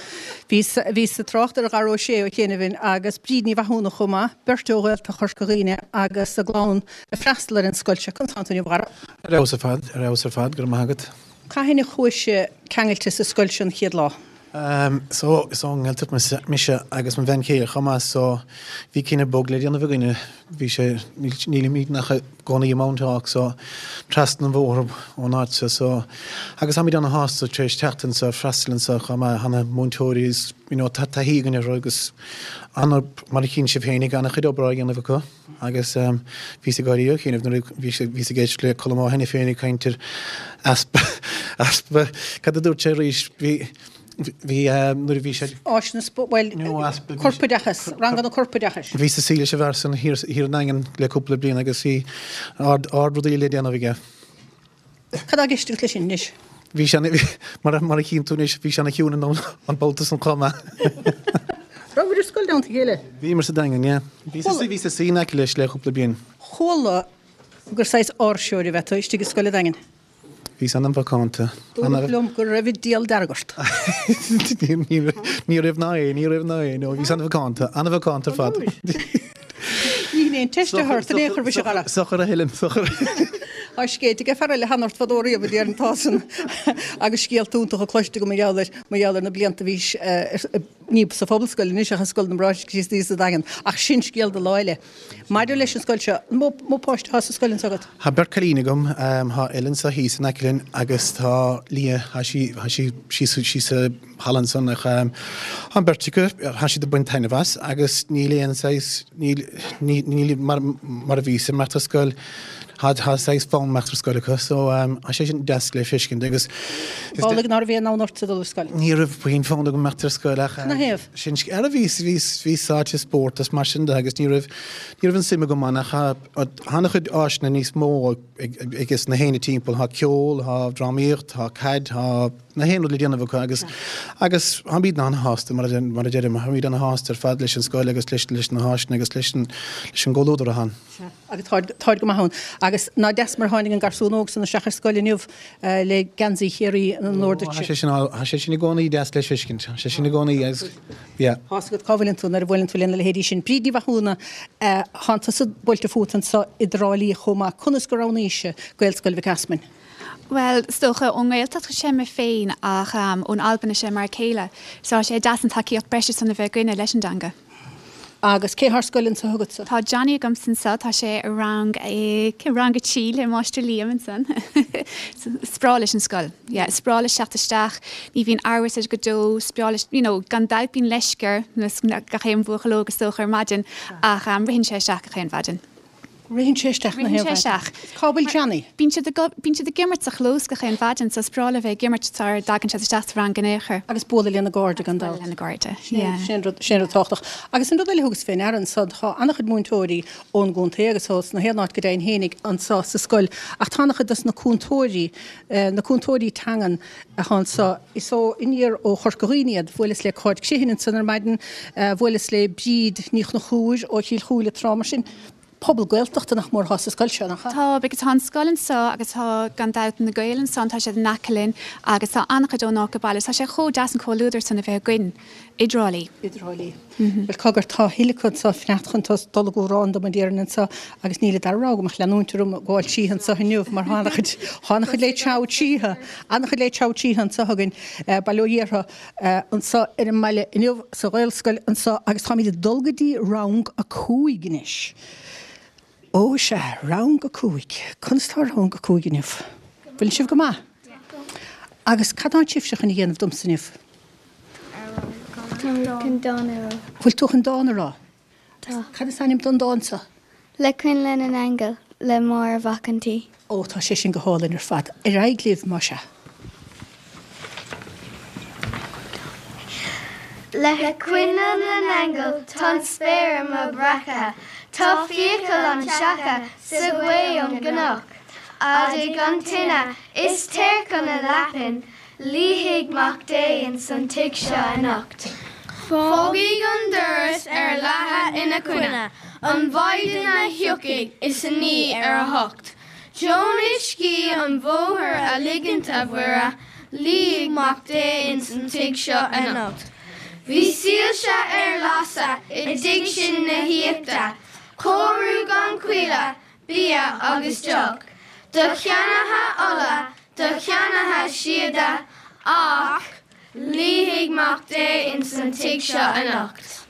Bhíos bhíos ag trácht ar Dhara Ó Sé ó chianaibh agus Bríd Ní Mhathúna chomh maith, beirt ó Ghaeltacht Chorca Dhuibhne agus a gclann ag freastal ar an scoil seo. Conas tánn tú inniu, a Dhara? Ar fheabhas ar fad, ar fheabhas ar fad, go raibh maith agat. Cathain a chuaigh sibh ceangailte sa scoil seo an chéad lá? So, is ón nGaeltacht mise, mise agus mo bhean chéile chomh maith, so bhí cinneadh bog le déanamh againne. Bhí sé, nílimid ach i gcónaí i Mounthawk, so trasna an bhóthair ón áit seo, so agus táimid ana-shásta tar éis teacht anseo, freastal anseo chomh maith, tá na múinteoirí is, you know, tá taithí againn orthu agus ana, mar a chíonn sibh féinig, ana-chuid obair á dhéanamh acu agus bhíos ag gáirí ó chianaibh nuair a bhí, bhíos ag éisteacht le Colm Ó hAiniféin ag caint ar easpa, easpa, cad a dúirt sé arís, bhí, Bhí nuair a bhí sé. Áiseanna spóirt, bhuel, corpoideachas, ranganna corpoideachais. Bhíos ag suí leis an bhfear san thiar i nDaingean le cúpla bliain agus bhí ard rudaí le déanamh aige. Cad tá i gceist agat leis sin anois? Bhí sé, mar a chíonn tú anois, bhí sé ana chiúin an babhta san chomh maith. Rabhabhair ar scoil i dteannta a chéile? Bhíomar sa Daingean, yeah. Bhíos ag suí in aice leis le cúpla bliain. Chuala gur saghas áirseoir ab ea tú istigh i scoil an Daingin. Bhíos an-mhacánta. Dúradh liom go raibh an diabhal dearg ort. Ní raibh ná é, ní raibh ná é, no, bhíos an-mhacánta, an-mhacánta ar fad. Ní hin aon teist a thabhairt in aon chor, mhuise, a chara. Sochar a Helen, sochar. Tá scéalta ag fear eile cheana ort fadó riamh a déarfainn tá san agus scéalta iontacha cloiste agam mar gheall ar, mar gheall ar na blianta a bhís ní sa Phobalscoil anois ach i Scoil na mBráithre Críostaí sa Daingean ach sin scéal do lá eile. Maidir leis an scoil seo, an mó, mó páiste atá sa scoil anseo agat? Tá beirt cailín agam, tá Ellen anseo thíos in aice linn agus tá Leah, tá sí, tá sí síos, síos sa halla ansan ach tá an beirt acu, tá siad ag baint taitneamh as agus níl aon saghas, níl, ní, níl mar, mar a bhíos ag imeacht ar scoil, tá, tá saghas fonn imeacht ar scoil acu so tá sé sin deas le feiscint agus is de. Amhlaidh ná raibh aon fhonn ortsa dul ar scoil? Ní raibh puinn fonn agam imeacht ar scoil ach Ina thaobh? sin ara bhíos, bhíos, bhíos sáite i spórt is mar sin de agus ní raibh, ní raibh an suim agam ann ach tá, tá an-chuid áiseanna níos mó ag, ag, ages na héinne timpeall, tá ceol, tá drámaíocht, tá caid, tá na haon rud le déanamh acu agus, agus táimid an-shásta mar a, mar a deirim, táimid an-shásta ar fad leis an scoil agus leis, leis na háiseanna agus leis an, leis an gcomhluadar atá ann. Sea, agus táid, táid go maith ann. Agus ná deas mar a tháinig an garsún óg san isteach ar scoil inniu le geansaí Chiarraí in onóir duitse. Tá sé sin, tá sé sin i gcónaí deas le feiscint. Tá sé sin i gcónaí agus, yeah. Tá 'fhios agat cá bhfuileann tú nuair a bhuaileann tú lena leithéidí sin. Bríd Ní Mhathúna, thánn tusa buailte fút anso i dTrá Lí chomh maith. Conas gur roghnaís Gaelscoil Mhic Easmainn? Bhuel, is dócha, ón nGaeltacht is ea mé féin ach ón Albain is ea m'fhear céile. So tá sé deas an tacaíocht breise san a bheith againne leis an dteanga. Agus cé thá ar scoil anso agatsa? Tá Johnny agamsa anso, tá sé i rang i rang a trí le Máistir Liam ansan. Is breá leis an scoil. Yeah, is breá leis teacht isteach, ní bhíonn amhras air go deo, is breá leis, you know, gan dabht bíonn leisce air, gach aon bhuachaill óg is dócha ar maidin, ach ritheann sé isteach gach aon mhaidin. Ritheann sé isteach na Ritheann sé isteach. Cá bhfuil Johnny? Bíonn siad ag, bíonn siad ag imirt sa chlós gach aon mhaidin so is breá leo bheith ag imirt sara dtagann siad isteach sa rang in aon chor. Agus bualadh lena gcairde gan dabht. Bualadh lena gcairde, yeah. Sin rud, sin rud tábhachtach. Agus an rud eile a thugas fé ndeara anso, tá an-chuid múinteoirí ón gcontae agus ó sna haon áit go deimhin fhéinig anso sa scoil ach tá an-chuid dos na cúntóirí, na cúntóirí teangan atá anso, is ó aniar ó Chorca Dhuibhne iad. Bhuaileas le Cáit Criomhthain ansan ar maidin, bhuaileas le Bríd Ní Chonchúir ó Chill Chúile tráth, mar sin. Pobal Gaeltachta nach mór atá sa scoil seo, nach ea? Tá, because tá an scoil anso agus tá, gan dabht, na Gaeil ansan, tá siad in aice linn agus tá an-chuid ón áit go baile. Tá sé chomh deas an comhluadar san a bheith againn i dTrá Lí. I dTrá Lí. Bhuel, cogar, tá a thuilleadh acu anso fanacht chun dul i gcomhrá dom a déarfainn anso agus níl an dara rogha agam ach leanúint orm ag gabháil tríothu anso inniu mar tá an-chuid, tá an-chuid le treabhadh tríothu, an-chuid le treabhadh tríothu anso againn, bail ó Dhia orthu, anso ar an mbaile inniu sa Ghaelscoil anso agus táimid ag dul go dtí rang a cúig anois. Ó sea, rang a cúig. Conas tá rang a cúig inniu? Bhfuil sibh go maith? Agus cad tá sibhse chun a dhéanamh domsa inniu? Tá mé chun dán a rá. Bhfuil tú chun dán a rá? Tá. Cad is ainm don dán seo? Le Coinnle na nAingeal le Máire Mhac an tSaoi. Ó, tá sé sin go hálainn ar fad. Ar aghaidh libh, más ea. Le coinnle na n-aingeal tá an spéir amuigh breactha, Tá fiacail an tseaca sa ghaoth ón gcnoc. Adaigh an tine is téir chun na leapan, Luífidh Mac Dé ins an tigh seo anocht. Fágaigí an doras ar leathadh ina choinne, An mhaighdean a thiocfaidh is a naoi ar a hocht. Deonaigh scíth an bhóthair a ligint, a Mhuire, Luífidh Mac Dé ins an tigh seo anocht. Bhí soilse ar lasadh i dtigh sin na haíochta, Cóiriú gan choinne, bia agus deoch, Do cheannaithe ola, do cheannaithe síoda, Ach luífidh Mac Dé ins an tigh seo anocht.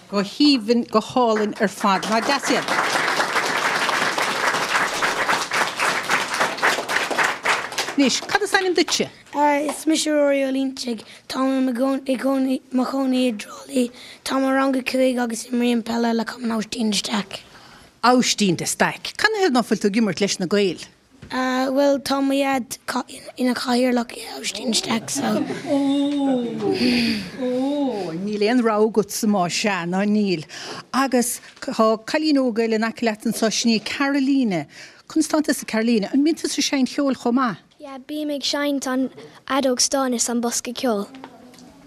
Go haoibhinn, go hálainn ar fad. Nach deas iad? Anois, cad is ainm duitse? Is mise Ruairí Ó Loinsigh. Táim i mo chónaí i dTrá Lí. Táim i rang a cúig agus imrím peile le Cumann Aibhistín de Staic. Aibhistín de Staic. Canathaobh ná fuil tú ag imirt leis na Gaeil? Bhuel tá mo dhaid ina chathaoirleach i Aibhistín de Staic so. Ó! Ó! Níl aon rogha agatsa más ea, ná níl. Agus tá cailín óg eile in aice leat anseo, sin í Caroline. Conas tánn tusa Caroline? An mbíonn tusa ag seinnt cheoil chomh maith? Yeah, bím ag seinnt an fheadóg stáin is an bosca ceoil.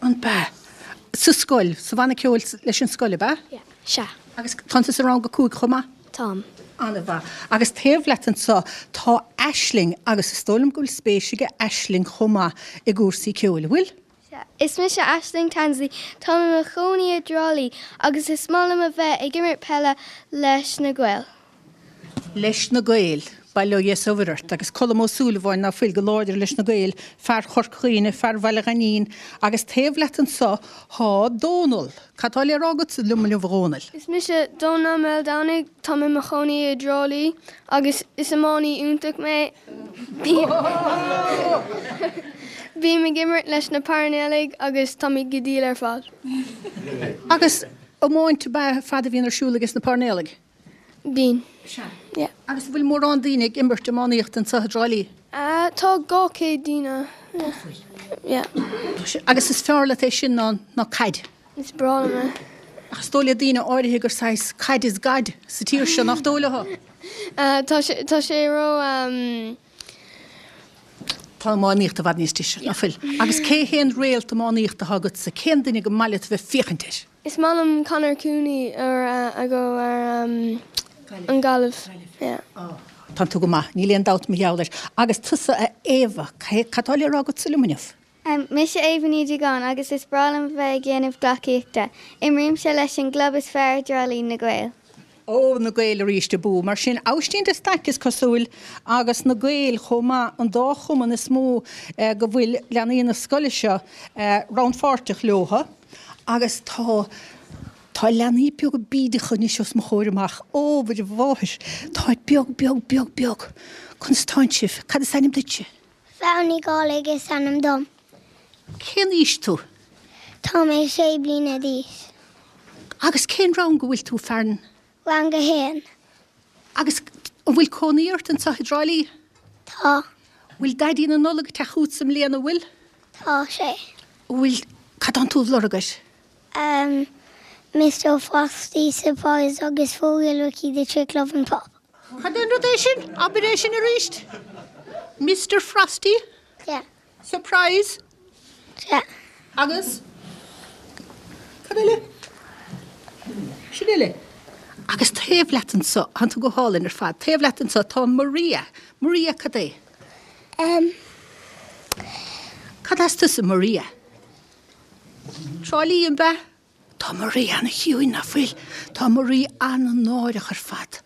An bea? Sa scoil, sa bhanna ceoil leis an scoil, ab ea? Yeah, sea. Agus tánn tusa i rang a cúig chomh maith? Táim. An-mhaith. Agus taobh leat anseo tá Aisling agus is dóigh liom go bhfuil spéis aige Aisling chomh maith i gcúrsaí ceoil, an bhfuil? Sea. Is mise Aisling Tansley, táim i mo chónaí i dTrá Lí agus is maith liom a bheith ag imirt peile leis na Gaeil. Leis na Gaeil. Bail ó Dhia 's ó Mhuire ort. Agus Colm Ó Súilleabháin ná fuil go láidir leis na Gaeil, fear Chorca Dhuibhne, fear Bhaile Ghainín, agus taobh leat anso thá Dónal. Cad tá le rá agatsa liom inniu a Dhónaill? Is mise Dónal Maoldomhnaigh, táim i mo chónaí i dTrá Lí agus is iománaí iontach mé. Bím ag imirt leis na Pairnéalaigh agus táimid go diail ar fad. Agus iomáint ab ea fad a bhíonn ar siúl ages na Pairnéalaigh? Bíonn. Sea. Yeah. Agus an bhfuil mórán daoine ag imirt iománaíochta anseo i dTrá Lí? Ah, tá dhá chéad duine. Tá bhfuil. Yeah. Tá sé, agus is fearr leat é sin ná, ná caid? Is breá liom é. Ach is dóigh le daoine áirithe gur saghas caid is gad sa tír seo, nach dóigh leo? Ah, tá sé, tá sé ró, ehm. Tá iománaíocht i bhfad níos deise, ná fuil? Agus cé hé an réalt iománaíochta atá agatsa? Cén duine go maith leat a bheith féachaint air? Is maith liom Conor Cooney ar a go ar an Gaillimh. Yeah. Oh, tá tú go maith, níl aon dabht mar gheall air. Agus tusa a Éabha, cad tá le rá agatsa liom inniu? Mise Éabha Ní Dhugáin agus is breá liom a bheith ag déanamh gleacaíochta. Imrímse leis an gclub is fearr i dTrá Lí, Na Gaeil. Ó, na Gaeil arís abú. Mar sin, Aibhistín de Staic is cosúil, agus na Gaeil chomh maith, an dá chumann is mó go bhfuil leanaí na scoile seo rannpháirteach leotha. Agus tá, tá leanaí beaga bídeacha anois os mo chomhair amach. Ó, Mhuire Mháthair, táid beag, beag, beag, beag. Conas tánn sibh? Cad is ainm duitse? Val Ní Dhálaigh is ainm dom. Cén aois tú? Tá mé sé bliana d'aois. Agus cén rang go bhfuil tú, Fearn? Rang a haon. Agus an bhfuil cónaí ort anseo i dTrá Lí? Tá. Bhfuil Daidí na Nollag ag teacht chugatsa i mbliana, an bhfuil? Tá sé. Bhfuil, cad tánn tú ag lorg air? Um, Mister Frosty Surprise agus Fuail Ricky the Trick Lovin' Pop. Cad é an rud é sin? Abair é sin arís. Mister Frosty? Yeah. Surprise? Yeah. Agus? Cad eile? Sin uile. Agus taobh leat anso, tánn tú go hálainn ar fad, taobh leat anso tá Maria. Maria cad é? Um. Cad as tusa Maria? Trá Lí, an b'ea? Tá Maria ana-chiúin, ná fuil? Tá Maria an-náireach ar fad.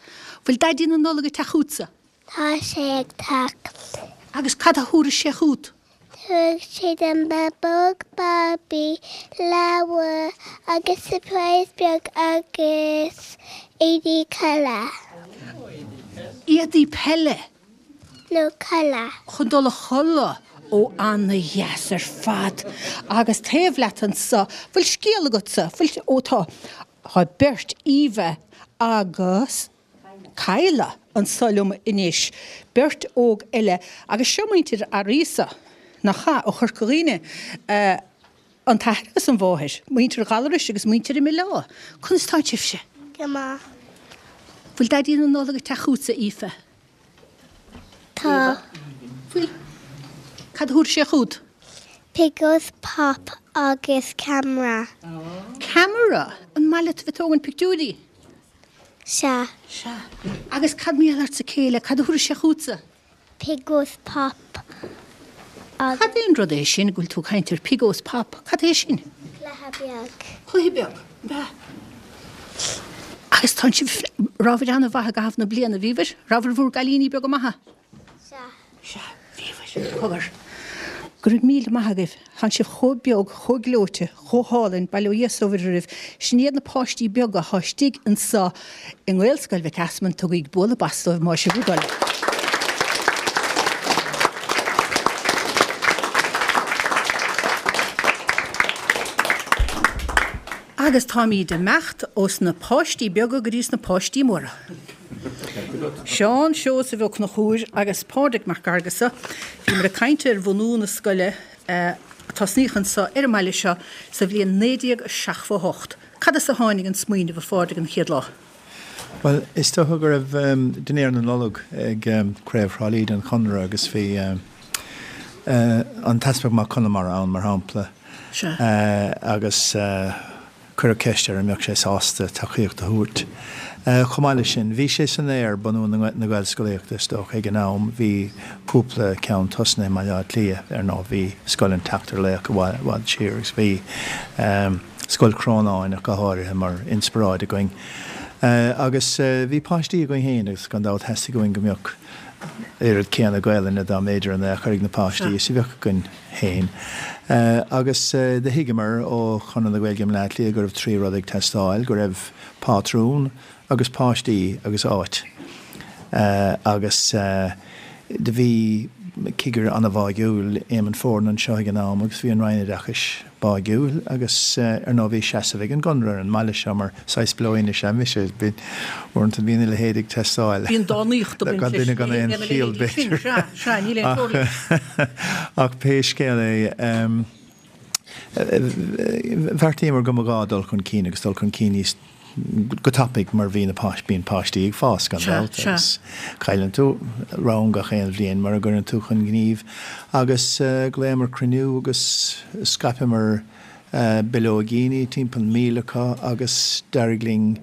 Bhfuil Daidí na Nollag ag teacht chugatsa? Tá sé ag teacht. Agus cad a thabharfaidh sé chugat? Tabharfaidh sé dom babóg Barbie, leabhar agus surprise beag agus éadaí peile. Éadaí peile? No, codladh. Chun dul a chodladh? Ó ana-dheas ar fad. Agus taobh leat anso, bhfuil scéal agatsa? Bhfuil, ó tá, tá beirt, Eva agus Kyla anso liom anois, beirt óg eile, agus seo muintir Fhearghasa, nach ea, ó Chorca Dhuibhne, an t-athair agus an mháthair, muintir Ghallarais agus muintir i mBaile. Conas tá sibhse? Go maith. Bhfuil Daidí na Nollag ag teacht chugatsa, Aoife? Tá. Bhfuil? Cad a thabharfaidh sé chugat? Piggos Pop agus ceamara. Ceamara? An maith leat a bheith ag tógaint pictiúirí? Sea. Sea. Agus cad mar gheall ortsa Kayla, cad a thabharfaidh sé chugatsa? Piggos Pop agus. Cad é an rud é sin go bhfuil tú ag caint ar Piggos Pop? Cad é sin? Cluiche beag. Cluiche beag, ab ea? Agus tá sibh, rabhabhair an-mhaith i gcaitheamh na bliana, bhíobhair? Rabhabhair bhur gcailíní beaga maithe? Sea. Sea, bhíobhair. Cogar. Go raibh míle maith agaibh. Tánn sibh chomh beag, chomh gleoite, chomh hálainn, bail ó Dhia 's ó Mhuire oraibh. Sin iad na páistí beaga athá istigh anso i nGaelscoil Mhic Easmainn, tugaigí bualadh bos dóibh más é bhur dtoil. Agus táimíd ag imeacht ós na páistí beaga go dtí sna páistí móra. Seán Seosamh Ó Conchúir agus Pádraig Mac Fhearghusa, bhíomar ag caint ar bhunú na scoile a tosnaíodh anseo ar an mbaile seo sa bhliain naoi déag seachtó a hocht. Cad as a tháinig an smaoineamh, a Phádraig, an chéad lá? Bhuel, is dócha go raibh dinnéar na Nollag ag Craobh Thrá Lí den Chonradh agus bhí an tEaspag Mac Conmara ann, mar shampla, agus cuireadh ceist air an mbeadh sé sásta tacaíocht a thabhairt. Chomh maith leis sin, bhí sé san aer, bunú na Gaelscolaíochta, is dócha, ag an am. Bhí cúpla ceann tosnaithe i mBaile Átha Cliath, ar ndóigh, bhí Scoil an tSeachtar Laoch i bhfad siar agus bhí Scoil Chrónáin ach go háirithe mar inspioráid againn. Agus bhí páistí againn féin agus gan dabht theastaigh uainn go mbeadh oiread céanna Gaelainne dá mb'fhéidir in aon chor ag na páistí is a bheadh againn féin. Agus do thuigeamar ó Chonradh na Gaeilge i mBleá Cliath go raibh trí rud ag teastáil, go raibh pátrún agus páistí agus áit. Agus do bhí cigire an-bháigiúil, Éamonn Foran, anseo ag an am agus bhí an Roinn Oideachais báigiúil agus ar ndóigh bhí seasamh ag an gConradh ar an mbaile seo mar saghas b'fhéidir is ea mise. Uaireanta bíonn a leithéid ag teastáil. Bíonn dánaíocht ag baint leis. Gan duine gan aon chiall b'fhéidir. Sea, sea, níl aon teora leis. Ach pé scéal é, bheartaíomar go mba ghá dul chun cinn agus dul chun cinn níos go tapaidh mar bhí na páistí, bíonn páistí ag fás gan dabht agus cailleann tú rang gach aon bhliain mura gcuireann tú chun gnímh agus ghlaomar cruinniú agus scaipeamar bileoigíní, timpeall míle acu agus d'éirigh linn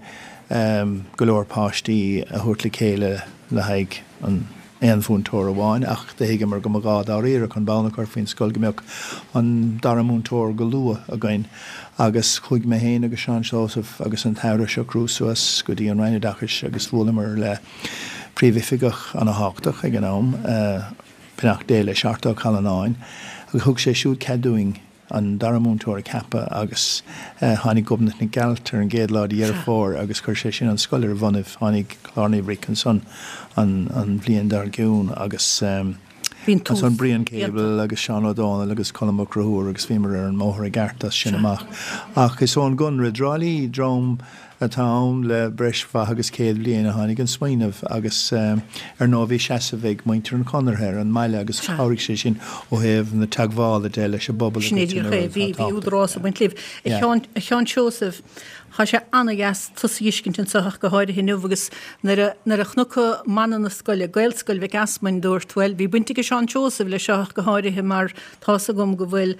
go leor páistí a thabhairt le chéile le haghaidh an aon mhúinteoir amháin ach do thuigeamar go mba ghá dáiríre chun bonn a chur faoin scoil go mbeadh an dara múinteoir go luath againn agus chuaigh mé féin agus Seán Seosamh agus an tAire a shocrú suas go dtí an Roinn Oideachais agus bhuaileamar le príomhoifigeach ana-thábhachtach ag an am, beannacht Dé leis, Art Ó Callanáin, agus thug sé siúd cead dúinn an dara múinteoir a cheapadh agus tháinig Gobnait Nic Gearailt ar an gcéad lá de Dheireadh Fómhair agus chuir sé sin an scoil ar a bonnaibh. Tháinig Clár Naomh Bric ansan an bhliain dár gcionn agus ansan Brian Cable agus Seán Ó Dónaill agus Colm Mac Conchúir agus bhíomar ar an mbóthar i gceart as sin amach. Ach is ón gConradh i dTrá Lí, dream atá ann le breis mhaith agus céad bliain a tháinig an smaoineamh agus ar ndóigh bhí seasamh ag muintir an Chonartha ar an mbaile agus chabhraigh sé sin ó thaobh na teagmhála de leis an bpobal Sin é díreach é, bhí bhí údarás ag baint libh. A Sheáin, a Sheáin Seosaimh, tá sé ana-dheas tusa a fheiscint anseo ach go háirithe inniu agus nuair a nuair a chonac mana na scoile, Gaelscoil Mhic Easmainn, dúrt, bhuel, bhí baint ag Seán Seosamh leis seo ach go háirithe mar tá's agam go bhfuil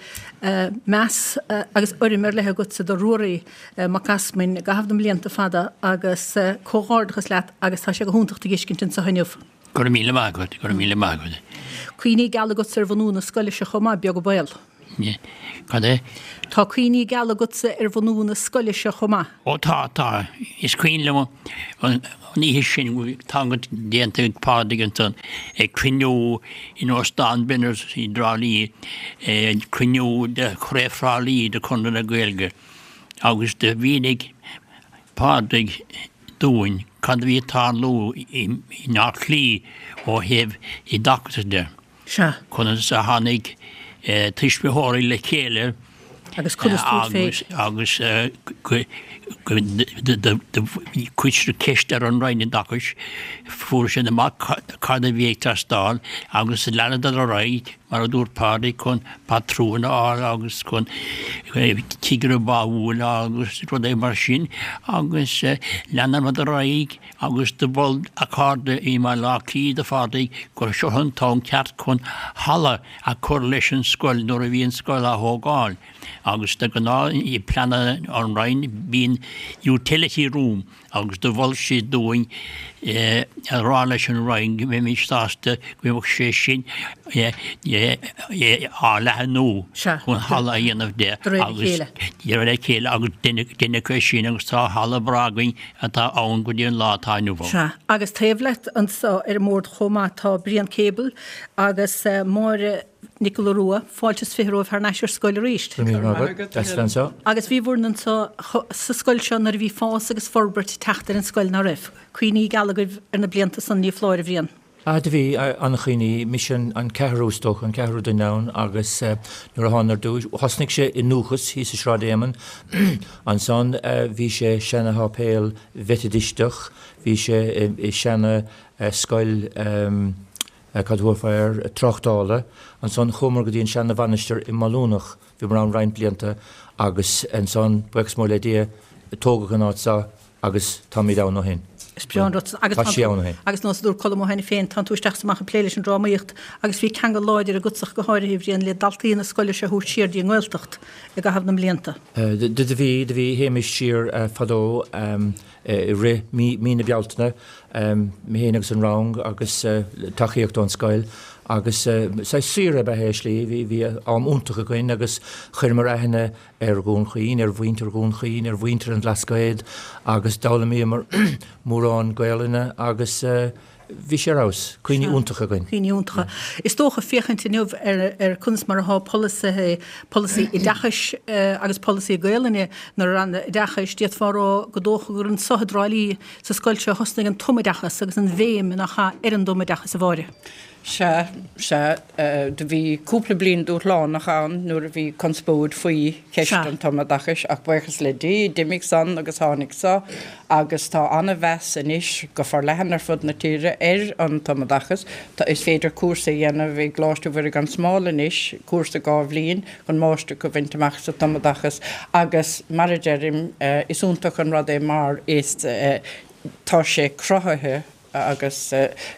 meas agus urraim ar leith agatsa do Ruairí Mac Easmainn i gcaitheamh na mblianta fada agus comhghairdeachas leat agus tá sé go hiontach tú a fheiscint anseo inniu. Go raibh míle maith agat, go raibh míle maith agat. Cuimhní geala agatsa ar bhunú na scoile seo chomh maith, beag an baol. Cad é? Tá cuimhní geala agatsa ar bhunú na scoile seo chomh maith. Ó tá, tá. Is cuimhin liom an oíche sin tá déanta ag Pádraig ansan ag cruinniú in Óstán Benners i dTrá Lí, cruinniú de Chraobh Thrá Lí de Chonradh na Gaeilge agus do mhínigh Pádraig dúinn cad a bhí ag tarlú i mBleá Cliath ó thaobh oideachais de. Sea. Conas a tháinig tuismitheoirí le chéile Agus conas dúirt féin. agus chuir siad ceist ar an Roinn Oideachais, fuair siad amach cad a bhí ag teastáil agus leanadar ar aghaidh, mar a dúirt Pádraig, chun patrún a fháil agus chun cigire báúil agus rudaí mar sin agus leanadar ar aghaidh agus do mhol a chairde i mBaile Átha Cliath do Phádraig gur seo an t-am ceart chun halla a chur leis an scoil nuair a bhí an scoil á thógáil agus de ghnáth i bpleananna an Roinn bíonn utility room agus do mhol siad dúinn a rá leis an Roinn go mbeimis sásta go mbeadh sé sin á leathnú chun halla a dhéanamh de agus de réir a chéile agus deineadh é sin agus tá halla breá againn atá ann go dtí an lá atá inniu ann. Sea, agus taobh leat anseo ar an mbord chomh maith tá Brian Cable agus Máire Nic Giolla Rua, fáilte is fiche romhaibh thar n-ais ar scoil arís. Go raibh míle maith agat, deas a bheith anseo. Agus bhíobhair anseo sa scoil seo nuair a bhí fás agus forbairt ag teacht ar an scoil, ná raibh? Cuimhní geala agaibh ar na blianta san, ní foláir, a Bhriain? Ah, do bhí an-chuimhní, mise an ceathrú is dócha, an ceathrú duine ann agus nuair a thána ar dtúis, thosnaigh sé i nDúchas thíos i Sráid Éamainn, ansan bhí sé seana-sháipéal Mheitidisteach, bhí sé i seana-scoil, cad thabharfá air, tráchtála, ansan chuamar go dtí an seana-mhainistir i mBailiúnach, bhíomar ann roinnt blianta agus ansan, buíochas mór le Dia, tógadh an áit seo agus táimid ann ó shin. Is breá an rud san. Agus Tá sí ann ó shin. Agus nós a dúirt Colm ó cheana féin, tánn tú isteach is amach ag plé leis an drámaíocht agus bhí ceangal láidir agatsa go háirithe, a Bhriain, le daltaí na scoile seo a thabhairt siar dtí an nGaeltacht i gcaitheamh na mblianta. Do bhí, do bhí, théimis siar fadó i rith mí, mí na Bealtaine, mé féin agus an rang agus tacaíocht ón scoil agus saghas saoire ab ea é i slí, bhí, bhí am iontach againn agus chuireamar aithne ar Dhún Chaoin, ar mhuintir Dhún Chaoin, ar mhuintir an Bhlascaoid agus d'fhoghlaimíomar mórán Gaelainne agus bhí sé ar fheabhas. Cuimhní iontacha againn. Cuimhní iontacha. Is dócha féachaint inniu ar ar conas mar atá polasaithe, polasaí oideachais agus polasaí Gaelainne na Ranna Oideachais, d'fhéadfá a rá go dócha gur anso i dTrá Lí sa scoil seo a thosnaigh an tumoideachas agus an bhéim nach ea ar an dtumoideachas a Mháire. Sea, sea, do bhí cúpla bliain dúshlánach ann nuair a bhí conspóid faoi cheist an tumoideachais ach buíochas le Dia, d'imigh san agus tháinig seo agus tá an-mheas anois go forleathan ar fud na tíre ar an tumoideachas. Tá, is féidir cúrsa a dhéanamh i gColáiste Mhuire gan Smál anois, cúrsa dhá bhliain chun máistreacht a bhaint amach sa tumoideachas agus mar a deirim, is iontach an rud é mar is tá sé cruthaithe agus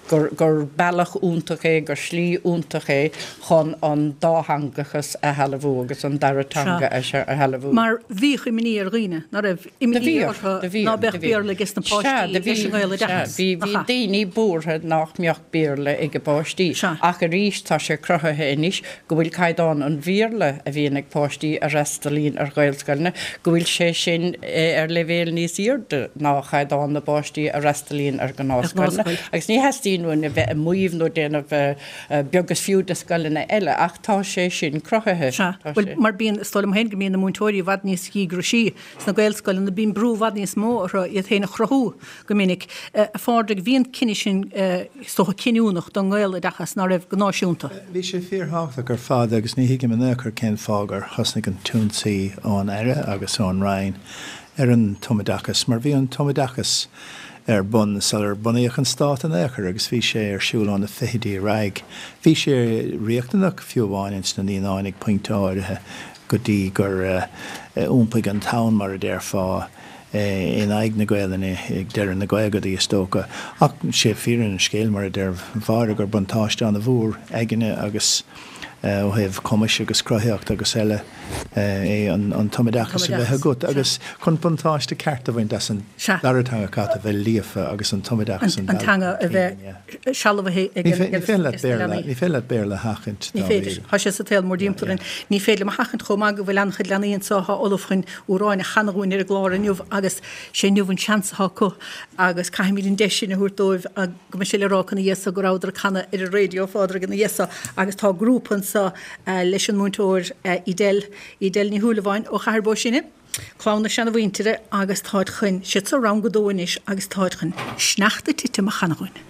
gur gur bealach iontach é, gur slí iontach é chun an dátheangachas a shealbhú agus an dara teanga a shealbhú. Mar bhíodh imní ar dhaoine, ná raibh imní orthu ná beadh Béarla aige na páistí leis an nGaeloideachas. Bhí bhí daoine buartha nach mbeadh Béarla ag a bpáistí. Ach arís tá sé cruthaithe anois go bhfuil caighdeán an Bhéarla a bhíonn ag páistí a fhreastalaíonn ar Ghaelscoileanna, go bhfuil sé sin ar leibhéal níos airde ná caighdeán na bpáistí a fhreastalaíonn ar ghnáthscoileanna. Agus ní theastaíonn uainn a bheith ag maíomh nó déanamh beag is fiú de scoileanna eile, ach tá sé sin cruthaithe. Sea, bhuel, mar bíonn, is dóigh liom féin go mbíonn na múinteoirí i bhfad níos díograisí sna Gaelscoileanna, bíonn brú i bhfad níos mó orthu iad féin a chruthú go minic. A Phádraig, bhí an cinneadh sin, is dócha, cinniúnach don nGaeloideachas, ná raibh, go náisiúnta. Bhí sé fíorthábhachtach ar fad agus ní thuigim in aon chor cén fáth gur thosnaigh an t-ionsaí ón Aire agus ón Roinn ar an tumoideachas, mar bhí an tumoideachas ar bun sular bunaíodh an stát in aon chor agus bhí sé ar siúl ó na fichidí ar aghaidh. Bhí sé riachtanach fiú amháin ins na naíonáin ag pointe áirithe go dtí gur iompaigh an tonn, mar a déarfá, in aghaidh na Gaelainne ag deireadh na gcaogaidí is dócha. Ach sé fírinne an scéil, mar a deir Máire, gur buntáiste an-mhór aigne agus ó thaobh cumais agus cruthaíocht agus eile é an tumoideachas a bheith agat agus chun buntáiste ceart a bhaint as an dara teanga caithfidh tú a bheith líofa agus an tumoideachas an teanga a bheith sealbhaithe ag na leanaí. Ní féidir leat Béarla a sheachaint Ní féidir. Tá sé sa tsaol mórdtimpeall orainn. Ní féidir liom a sheachaint chomh maith go bhfuil an-chuid leanaí anseo atá ullamh chun amhráin a chanadh dhúinn ar an gclár inniu agus sé inniu an seans atá acu agus caithfimid an deis sin a thabhairt dóibh go mbeidh sé le rá acu ina dhiaidh so go rabhadar ag canadh ar an raidió, a Phádraig, ina dhiaidh so agus tá grúpa anseo leis an múinteoir Edel, Edel Ní Shúilleabháin ó Chathair Bó Sine, clann na seanamhuintire agus táid chun, siad sa rang a dó anois agus táid chun Sneachta ag Titim a chanadh dhúinn.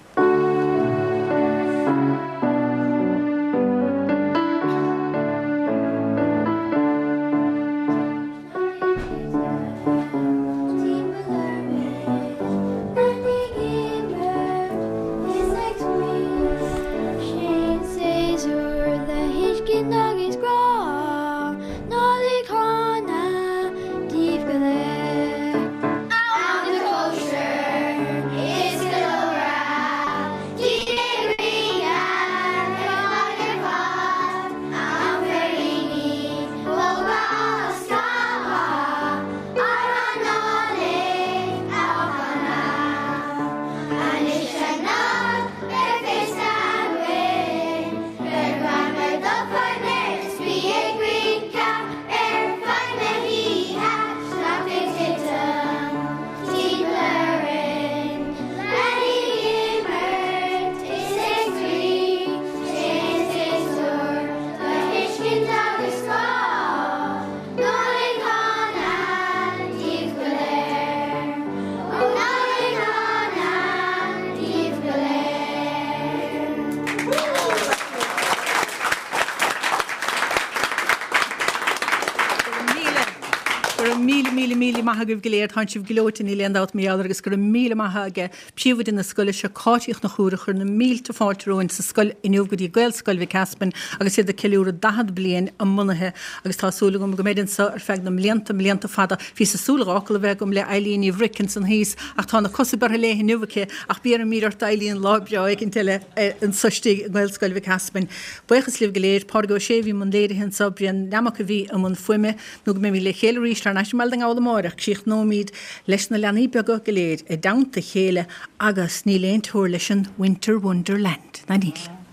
Go raibh míle míle míle maith agaibh go léir tá sibh gleoite níl aon dabht mar gheall air agus go raibh míle maith ag príomhoide na scoile seo Cáit Uí Chonchúir a chuir na mílte fáilte romhainn sa scoil inniu go dtí Gaelscoil Mhic Easmainn agus iad ag ceiliúradh daichead bliain a mbunaithe agus tá súil agam go mbeidh anseo ar feadh na mblianta mblianta fada. Bhíos ag súil dhá fhocal a bheith agam le Eileen Ní Bhric ansan thíos ach tá na cosa bearrtha léi inniu aici ach béarfaidh mír ort Eileen lá breá éicint eile anseo istigh i nGaelscoil Mhic Easmainn. Buíochas libh go léir, Pádraig Ó Sé a bhí i mbun léirithe anseo, Brian Nammock a bhí i mbun fuaime nó go mbeimid le chéile arís thar n-ais i mBaile na nGall amárach, críochnóimid leis na leanaí beaga go léir i dteannta a chéile agus níl aon teora leis an Winter Wonderland, ná níl.